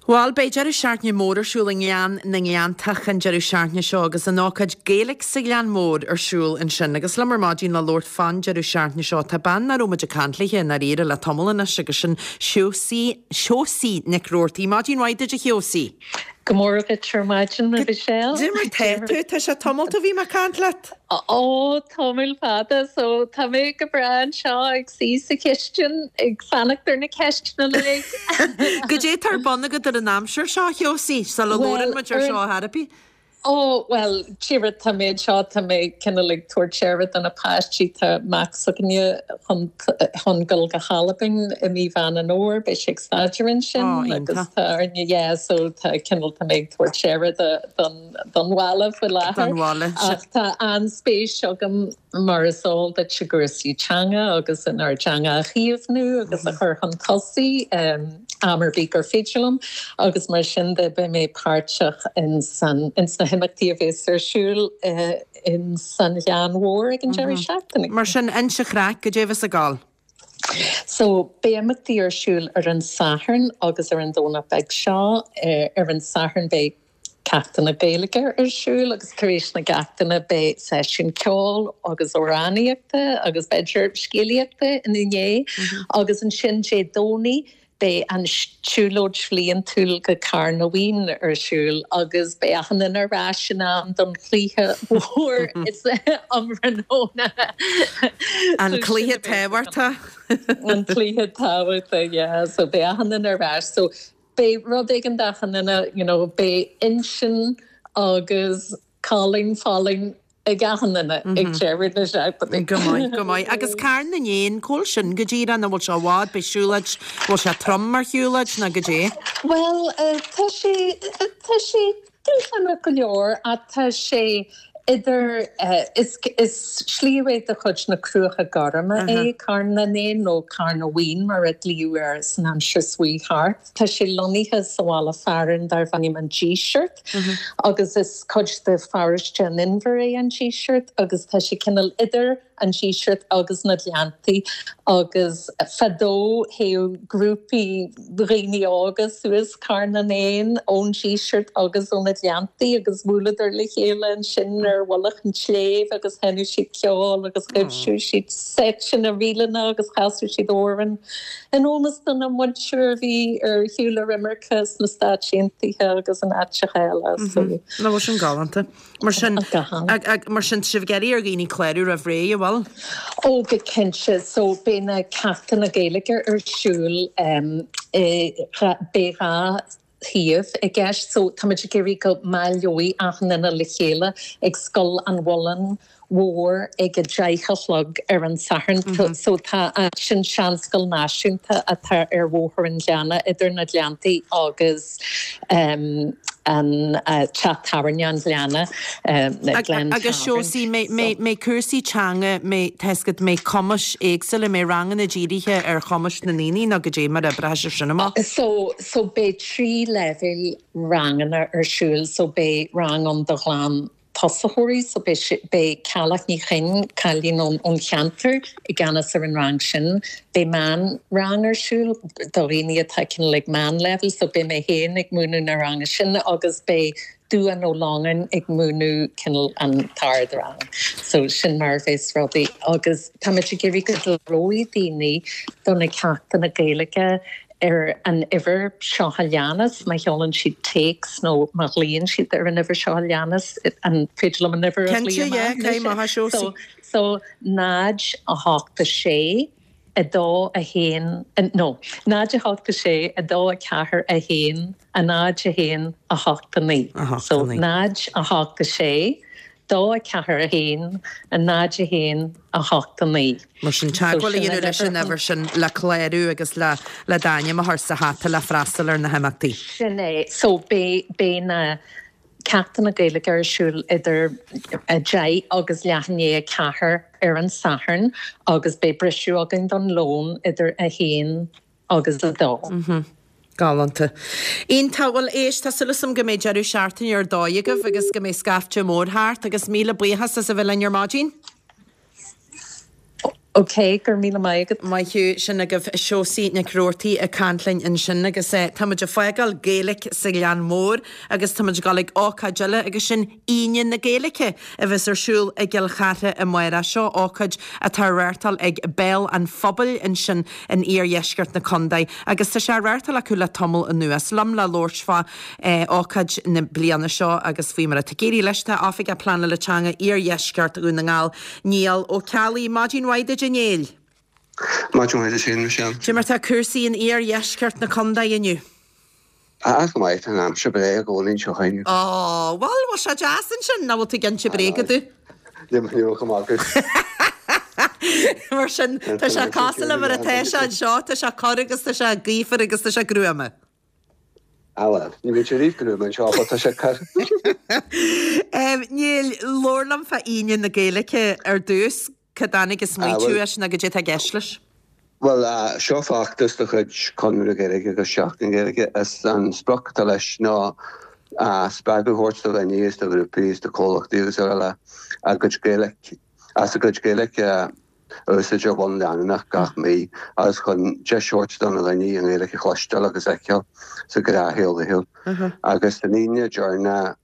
Bhuel, beidh deireadh seachtaine mór ar siúl i nGleann na nGleanntach an deireadh seachtaine seo agus an ócáid Gaelic sa Ghleann Mór ar siúl ansin. Agus liom ar maidin le labhairt fán deireadh seachtaine seo tá bean nach raibh muid ag caint léi i ndáiríre le tamall anois agus sin Seosaí Seosaí Nic Roarty. Maidin mhaith duit a Sheosaí. Go mór duit ar maidin a Mhichelle. Cad é mar tá tú Tá sé tamall ó bhí mé ag caint leat. Ó tamall fada so tá mé go breá anseo ag suí sa chistin ag fanacht ar na ceisteanna uilig. Goidé tá ar bun agat ar an aimsir seo Sheosaí sula labhrann muid ar seo ar chor ar bith. Ó well tíre tá mé seo tá mé cineál ag tabhairt aire do na páistí tá mac s'againne chun chun dul go hAlbain i mí Mheán an Fhómhair beidh sé ag staidéar ansin agus tá arna yeah so tá cineál tá mé ag tabhairt aire don don bhaile faoi láthair. Don bhaile. Ach tá an-spéis agam mar is eol duit i gcúrsaí teanga agus inár dteanga a chaomhnú agus a chur chun tosaigh am ar bith gur féidir liom agus mar sin de beidh mé páirteach in san ins na himeachtaí a bheas ar siúl in san Ghleann Mhór ag an deireadh seachtaine. Mar sin inis an chraic goidé a bheas ag gabháil. So beidh imeachtaí ar siúl ar an Satharn agus ar an Domhnach beag seo. Ar an Satharn beidh ceachtanna Gaeilge ar siúl agus tar éis na gceachtanna beidh seisiún ceoil agus amhránaíochta agus b'fhéidir scéalaíochta ina ndiaidh agus ansin Dé Domhnaigh beidh an siúlóid bhliantúil go Carn na bhFiann ar siúl agus beidh achan duine ar ais in am don chluiche mhór is um thráthnóna. An cluiche tábhachtach. An cluiche tábhachtach, yeah. So beidh achan duine ar ais. So beidh rud éigin d'achan duine, you know, beidh intinn agus colainn folláin ag achan duine ag deireadh na seachtaine. Go maith, go maith. Agus Carn na nÉan, cá bhfuil sin go díreach, an bhfuil sé i bhfad, beidh siúlóid, bhfuil sé trom mar shiúlóid nó goidé? Bhuel, tá sé, tá sé dúshlánach go leor ach tá sé idir, is, is sliabh é de chuid na Cruacha Gorma é Carn na nÉan nó Carn na bhFiann mar a glaodh air san aimsir seo chuaigh thart. Tá sé lonnaithe sa bhaile fearainn darb ainm an Díseart agus is cuid de pharóiste an Inbhir é an Díseart agus tá sé cineál idir an Díseart agus na Gleanntaí agus fadó théadh grúpaí dhaoine óga suas Carn na nÉan ón Díseart agus ó na Gleanntaí agus bhuaileadar le chéile ansin ar mhullach an tsléibhe agus sheinneadh siad ceol agus thaibhsiú siad seiteanna ríleanna agus chasadh siad amhráin in ómós dona muintir a bhí ar shiúl ar imirce sna Stáit Aontaithe agus in áiteacha eile. So. Nach bhfuil sin galánta. Mar sin, mar sin tá sibh ag iarraidh ar dhaoine clárú roimh ré, an bhfuil? Ó go cinnte, so beidh na ceachtanna Gaeilge ar siúl beidh dhá shuíomh i gceist so táimid ag iarraidh go mbaileoidh achan duine le chéile ag Scoil an Mhuilinn Mhór ag a deich a chlog ar an Satharn. So tá sin seanscoil náisiúnta atá ar Bhóthar an Ghleanna idir na Gleanntaí agus an teach tábhairne an Ghleanna, Glen Agus Tavern. Seosaí, mbeidh cúrsaí teanga, mbeidh tá a fhios agat, mbeidh cumais éagsúla, mbeidh ranganna dírithe ar chumais na ndaoine nó goidé mar a oibreoidh sé sin amach? So, so beidh trí leibhéal ranganna ar siúl. So beidh rang ann do ghlan tosaitheoirí so beidh beidh Ceallach Ní Chuinn, cailín ón ón cheantar, i gceannas ar an rang sin. Beidh meán rang ar siúl do dhaoine atá cineál ag meánleibhéal so beidh mé féin ag múineadh na ranga sin agus beidh Dubhán Ó Longáin ag múineadh cineál an t-ardrang. So sin mar a bheas rudaí agus táimid ag iarraidh go gcláróidh daoine do na ceachtanna Gaeilge ar an uimhir seo a leanas, má sheolann siad téacs nó má ghlaonn siad ar an uimhir seo a leanas, an féidir liom an uimhir a Cinnte, ghlaoigh yeah, amach caith anois? amach é, So, Seosaí. so náid a hocht a sé, a dó a haon, no, náid a hocht a sé, a dó a ceathair a haon, a náid a haon, a hocht a naoi. A hocht a So naoi. náid a hocht a sé, dó a ceathair a haon, a náid a haon, a hocht a naoi. Mar sin, teagmháil a dhéanamh leis an uimhir sin le clárú agus le le d'ainm a chur sa hata le freastal ar na himeachtaí. Sin é. So beidh beidh na Ceachtanna Gaeilge ar siúl idir a deich agus leath i ndiaidh a ceathair ar an Satharn agus beidh briseadh againn don lón idir a haon agus a dó. Galánta. Iontach, bhuel éist, tá súil agam go mbeidh deireadh seachtaine ar dóigh agaibh agus go mbeidh scaifte mór thart agus míle buíochas as a bheith linn ar maidin. Ok, go raibh míle maith agat. Maith thú, sin agaibh Seosaí Nic Roarty ag caint linn ansin agus tá muid ag fágáil Gaeilge sa Ghleann Mór agus tá muid ag dul ag ócáid eile agus sin Aoine na Gaeilge a bheas ar siúl i gCill Chartha amárach. Seo ócáid atá á reáchtáil ag Béal an Phobail ansin in iardheisceart na contae agus tá sé á reáchtáil acu le tamall anuas. Liom le labhairt fá ócáid na bliana seo agus faoi mar atá ag éirí leis tá Oifigeach Pleanála Teanga Iardheisceart Dhún na nGall, Niall Ó Ceallaigh. Maidin mhaith duit a Néill. Maidin mhaith duit féin, Michelle. Cé mar tá cúrsaí in iardheisceart na contae inniu? Ah, go maith, tá an aimsir breá i gcónaí anseo againn. Ó, bhuel, bhfuil sé deas ansin, nó bhfuil tú ag inse bréaga domh? Níl, níl chomh maith agat. Mar sin, tá sé cosúil le mar atá sé anseo, tá sé corr agus tá sé gaofar agus tá sé gruama. Ah bhuel, ní bhíonn sé riamh gruama anseo, but tá sé corr. Niall, labhair liom fá Aoine na Gaeilge ar dtús. Cá dtáinig an smaoitiú as nó goidé atá i gceist leis? Bhuel, seo feachtas de chuid Chonradh na Gaeilge agus Seachtain na Gaeilge. Is an sprioc atá leis ná spreagadh a thabhairt do dhaoine is do ghrúpaí is do chomhlachtaí agus araile a gcuid Gaeilge, as a gcuid Gaeilge a úsáid ar bhonn leanúnach gach mí agus chun deis a thabhairt do na daoine an Ghaeilge a chloisteáil agus a fheiceáil sa ghnáthshaol laethúil. Agus an Aoine deireanach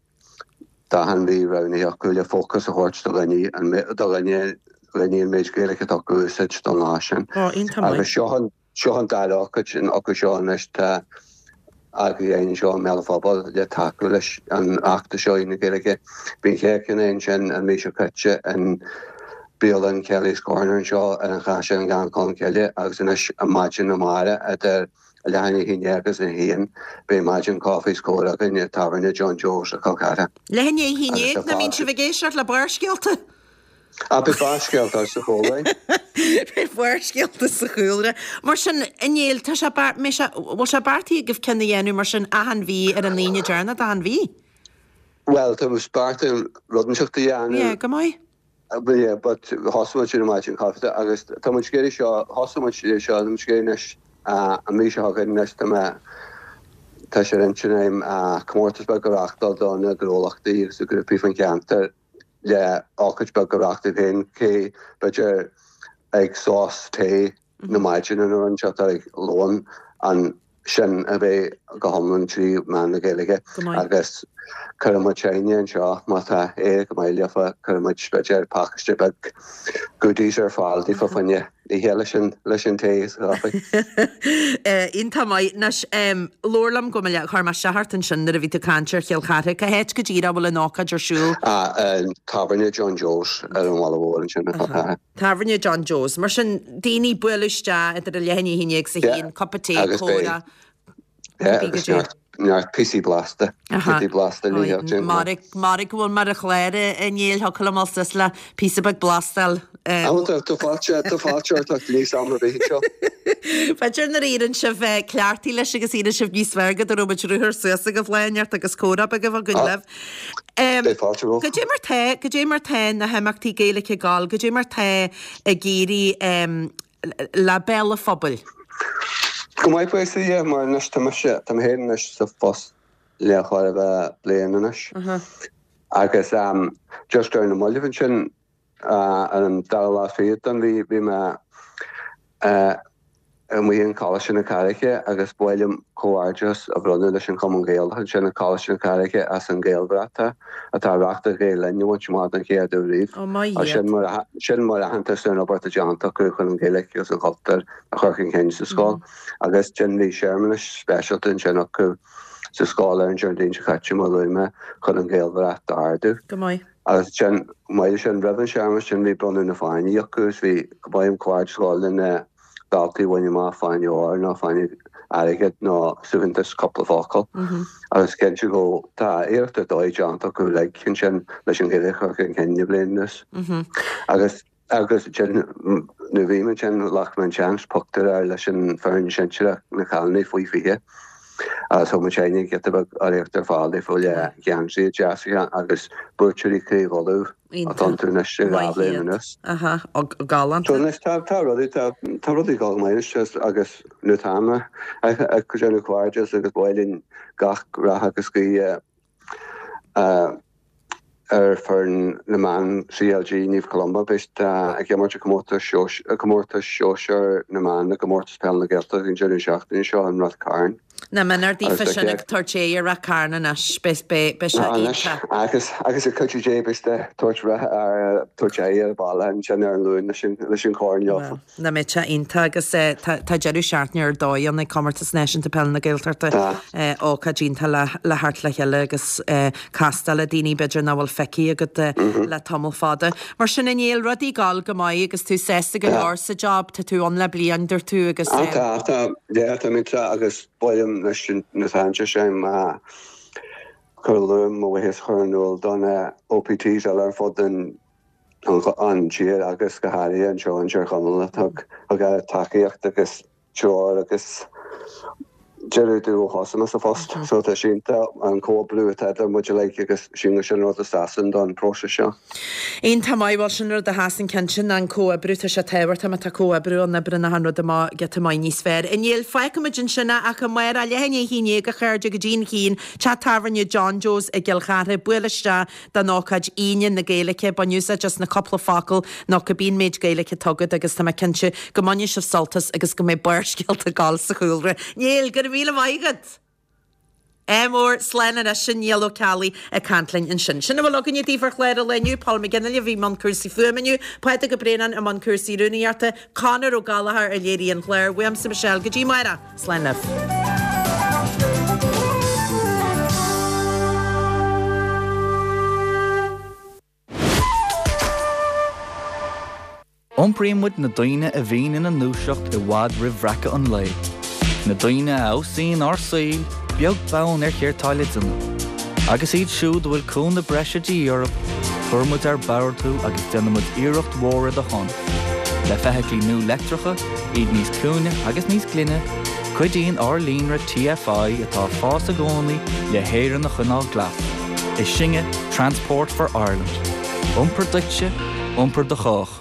d'achan mhí roghnaithe acu le fócas a thabhairt do dhaoine, do dhaoine, dhaoine an méid Gaeilge atá acu a úsáid don lá sin. Ó, iontach maith. Agus seo an, seo an dara ócáid acu seo anois atá eagraithe againn anseo i mBéal an Phobail le tacú leis an fheachtas seo Aoine na Gaeilge. Bhí an chéad cheann ansin an mhí seo caite in bialann Kelly's Corner anseo ar an Chaiseal i nGleann Cholm Cille agus anois maidin amárach idir leath i ndiaidh a haon déag agus a haon beidh maidin caife is comhrá againn i dtábhairne John Joe's i gCill Chartha. Leath i ndiaidh a haon déag, nach mbíonn sibh ag éisteacht le Barrscéalta? Ah, beidh Barrscéalta sa chúlra. Beidh Barrscéalta sa chúlra. Mar sin, a Néill, tá sé beart, mbeidh sé, bhfuil sé beartaithe agaibh ceann a dhéanamh mar sin achan mhí ar an Aoine deireanach d'achan mhí? Bhuel, tá muid beartaithe rud inteacht a dhéanamh. Yeah, go maith. Yeah, but thosaigh muid ar an maidin caife agus tá muid ag iarraidh seo, thosaigh muid é seo, tá muid ag iarraidh anois an mhí seo chugainn anois tá mé, tá sé ar intinn agam comórtas beag a reáchtáil do na gnólachtaí agus na grúpaí faoin cheantar le ócáid beag a reáchtáil féin, cé b'fhéidir ag sos tae na maidine nó rud inteacht ag lón an sin a bheidh go hiomlán trí mheán na Gaeilge agus cuirfidh muid éinne anseo má tá éirí go maith leofa cuirfidh muid b'fhéidir pacáiste beag goodies ar fáil daofa fá choinne ithe leis an leis an tae is caife. Iontach maith. Anois, labhair liom go mba chuir mé isteach ort ansin nuair a bhí tú ag caint ar Chill Chartha. Cá háit go díreach a bhfuil an ócáid ar siúl? Ah, Tábhairne John Joe's ar an Bhaile Mhór ansin i gCill Chartha. Tábhairne John Joe's. Mar sin, daoine bualadh isteach idir a leath i ndiaidh a haon déag is a haon, cupa tae, comhrá. Yeah, agus neart, neart píosaí blasta, giotaí blasta le híoc déanta. Mairg, mairg go bhfuil mé ar an chlár a Néill, thiocfadh liom dul suas le píosa beag blastáil. Ah, bhuel, tá, tá fáilte, tá fáilte ort ach níos am ar bith anseo. B'fhéidir nuair a éiríonn sibh cleachtaithe leis agus éiríonn sibh níos fearr go dtabharfaidh muid ruathar suas agaibh lá inteacht agus comhrá beag a bheith againn libh. Beidh fáilte romhat. Goidé mar tá, goidé mar tá na himeachtaí Gaeilge ag gabháil, goidé mar tá ag éirí le Béal an Phobail? Go maith buíochas le Dia, mar anois tá mise, tá mé féin anois sa phost le chóir a bheith bliain anois. Agus just ar na mallaibh ansin ar an dara lá fichead den mhí bhí mé amuigh in Coláiste na Carraice agus ba mhaith liom comhghairdeas a bhronnadh leis an Chumann Gaelach ansin i Coláiste na Carraice as an Gaelbhrat atá reáchtáil Gael Linn a bhaint amach don chéad uair riamh. Ó, maith iad. Sin mar sin mar aitheantas ar an obair atá déanta acu chun an Ghaeilge agus an cultúr a chur chun cinn sa scoil. Agus ansin bhí searmanas speisialta ansin acu sa scoil ar an Déardaoin seo caite, mar a luaigh mé, chun an Ghaelbhrat a ardú. Go maith. Agus ansin, chomh maith leis sin, roimh an searmanas sin bhí bronnadh na fáinní acu agus bhí go maith comhghairdeas a ghabháil le na daltaí a bhain amach fáinne óir nó fáinne airgid nó suaitheantas cúpla focal agus cinnte go tá iarracht ar dóigh déanta acu uilig ansin leis an Ghaeilge a chur chun cinn le bliain anuas. Agus agus ansin nuair a bhí mé ansin ghlac mé an seans pictiúr a fháil leis an foireann sinsearach na cailíní faoi fiche Agus thug muid féin giota beag urraíocht ar fáil daofa le geansaí deasa agus buaiteoirí Chraobh Uladh atá iontu anois i dhá bhliain anuas. Aha, galánta. So anois tá tá rudaí tá tá rudaí ag dul go maith anois agus nó tá mé ag ag déanamh cairdeas agus ba mhaith linn gach rath agus guí ar foireann na mban CLG Naomh Columba. Beidh siad ag imirt i gcomórtas sóisear na mban i gComórtas Peile na Gaeltachta an deireadh seachtaine seo in Rath Cairn. Na mionúir daofa sin ag tabhairt aghaidh ar Rath Cairn anois, beidh sé iontach. Agus agus le cuidiú Dé beidh siad ag tabhairt tabhairt aghaidh ar an baile ansin ar an Luan leis an chorn leofa. Nach mbeidh sé iontach agus tá deireadh seachtaine ar dóigh ann ag Comórtas Náisiúnta Peile na Gaeltachta. Ócáid iontach le theacht le chéile agus castáil le daoine b'fhéidir nach bhfuil feicthe agat le tamall fada. Mar sin a Néill, rudaí ag gabháil go maith agus tú sásta go leor sa job, tá tú ann le bliain dúirt tú agus. Tá, tá, yeah, tá mé agus b'fhéidir leis na sainte sin cur luaim mo bhuíochas a chur in iúl do na OPTs eile ar fud an an tír agus go háirithe anseo in Tír Chonaill a thug tacaíocht agus treoir agus deireadh dúinn ó thosaigh mé sa phost. So tá sé iontach an comhoibriú atá idir muid uilig agus sílim gur sin an rud is deasa don próiseas seo. Iontach maith, bhuel sin rud a sheasann cinnte ná an comhoibriú, tá sé tábhachtach má tá comhoibriú ann oibríonn achan rud amach giota maith níos fearr. A Néill, fágfaimid ansin é ach amárach, leath i ndiaidh a haon déag a chairde go dtí an Chinn, Teach Tábhairne John Joe's i gCill Chartha, buail isteach don ócáid Aoine na Gaeilge, bain úsáid as na cúpla focal nó cibé an méid Gaeilge atá agat agus tá mé cinnte go mbainfidh sibh sult as agus go mbeidh Barrscéalta ag gabháil sa chúlra. Néill, go raibh míle maith agat! Ádh mór, slán anois, sin Niall Ó Ceallaigh ag caint linn ansin. Sin a bhfuil againne daoibh ar chlár an lae inniu, Paul McGinley a bhí i mbun cúrsaí fuaime inniu, Pádraig Ó Braonáin i mbun cúrsaí rúnaíochta, Conor Ó Gallchóir a léirigh an clár, uaimse Michelle go dtí amárach, slán libh. Iompraíonn muid na daoine a bhíonn ina ndúiseacht i bhfad roimh bhreacadh an lae. Na daoine a fheabhsaíonn ár saoil, beag beann ar céard tá le déanamh. Agus iad siúd a bhfuil cúnamh breise de dhíth orthu, cuireann muid ár bpabhar tú agus déanann muid iarracht mhór ar do shon. Le feithiclí nua leictreacha, iad níos ciúine agus níos glaine, cuidíonn ár líonra TFI atá ag fás i gcónaí le hÉirinn a choinneáil glas. Is sinne Transport for Ireland. Iompar duitse, iompar do chách.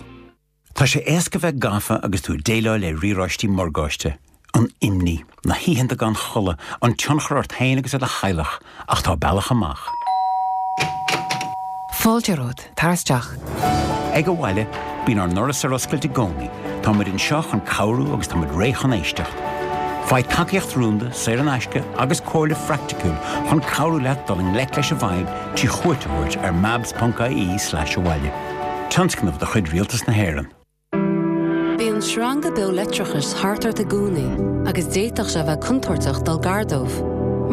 Tá sé éasca bheith gafa agus tú ag déileáil le riaráistí morgáiste, an imní, na hoícheanta gan chodladh, an tionchar ort féin agus ar do theaghlach, ach tá bealach amach. Fáilte romhat, tar isteach. Ag Abhaile, bíonn ár ndoras ar oscailt i gcónaí. Tá muid anseo chun cabhrú agus tá muid réidh chun éisteacht. Faigh tacaíocht rúnda, saor in aisce agus comhairle phraiticiúil chun cabhrú leat dul i ngleic leis an bhfadhb trí chuairt a thabhairt ar mabs ponc ie slash abhaile. Tionscnamh de chuid Rialtas na hÉireann. Bíonn sreanga beo leictreachais thart ort i gcónaí agus d'fhéadfadh sé bheith contúirteach dul gar dóibh.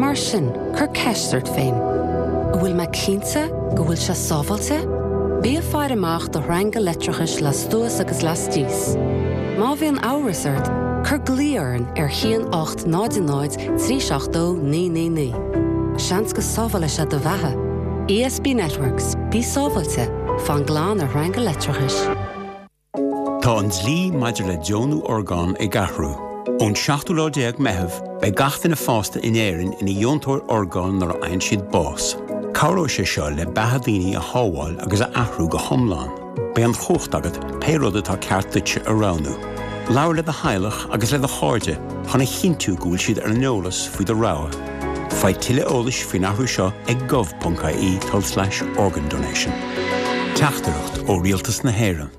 Mar sin, cuir ceist ort féin. An bhfuil mé cinnte go bhfuil sé sábháilte? Bí ag faire amach do shreanga leictreachais lastuas agus lastíos. Má bhíonn amhras ort, cuir glao orainn ar haon ocht náid náid trí seacht dó naoi naoi naoi. Seans go sábhálfaidh sé do bheatha. ESB Networks, bí sábháilte, fan glan ar shreanga leictreachais. Tá an dlí maidir le deonú orgán ag athrú. Ón seachtú lá déag Meitheamh, beidh gach duine fásta in Éirinn ina dheontóir orgán nuair a fhaigheann siad bás. Cabhróidh sé seo le beatha daoine a shábháil agus a athrú go hiomlán. Beidh an chumhacht agat pé rud atá ceart duitse a roghnú. Labhair le do theaghlach agus le do chairde chun a chinntiú go bhfuil siad ar an eolas faoi do rogha. Faigh tuilleadh eolais faoin athrú seo ag gov ponc ie tulslais organ donation. Teachtaireacht ó Rialtas na hÉireann.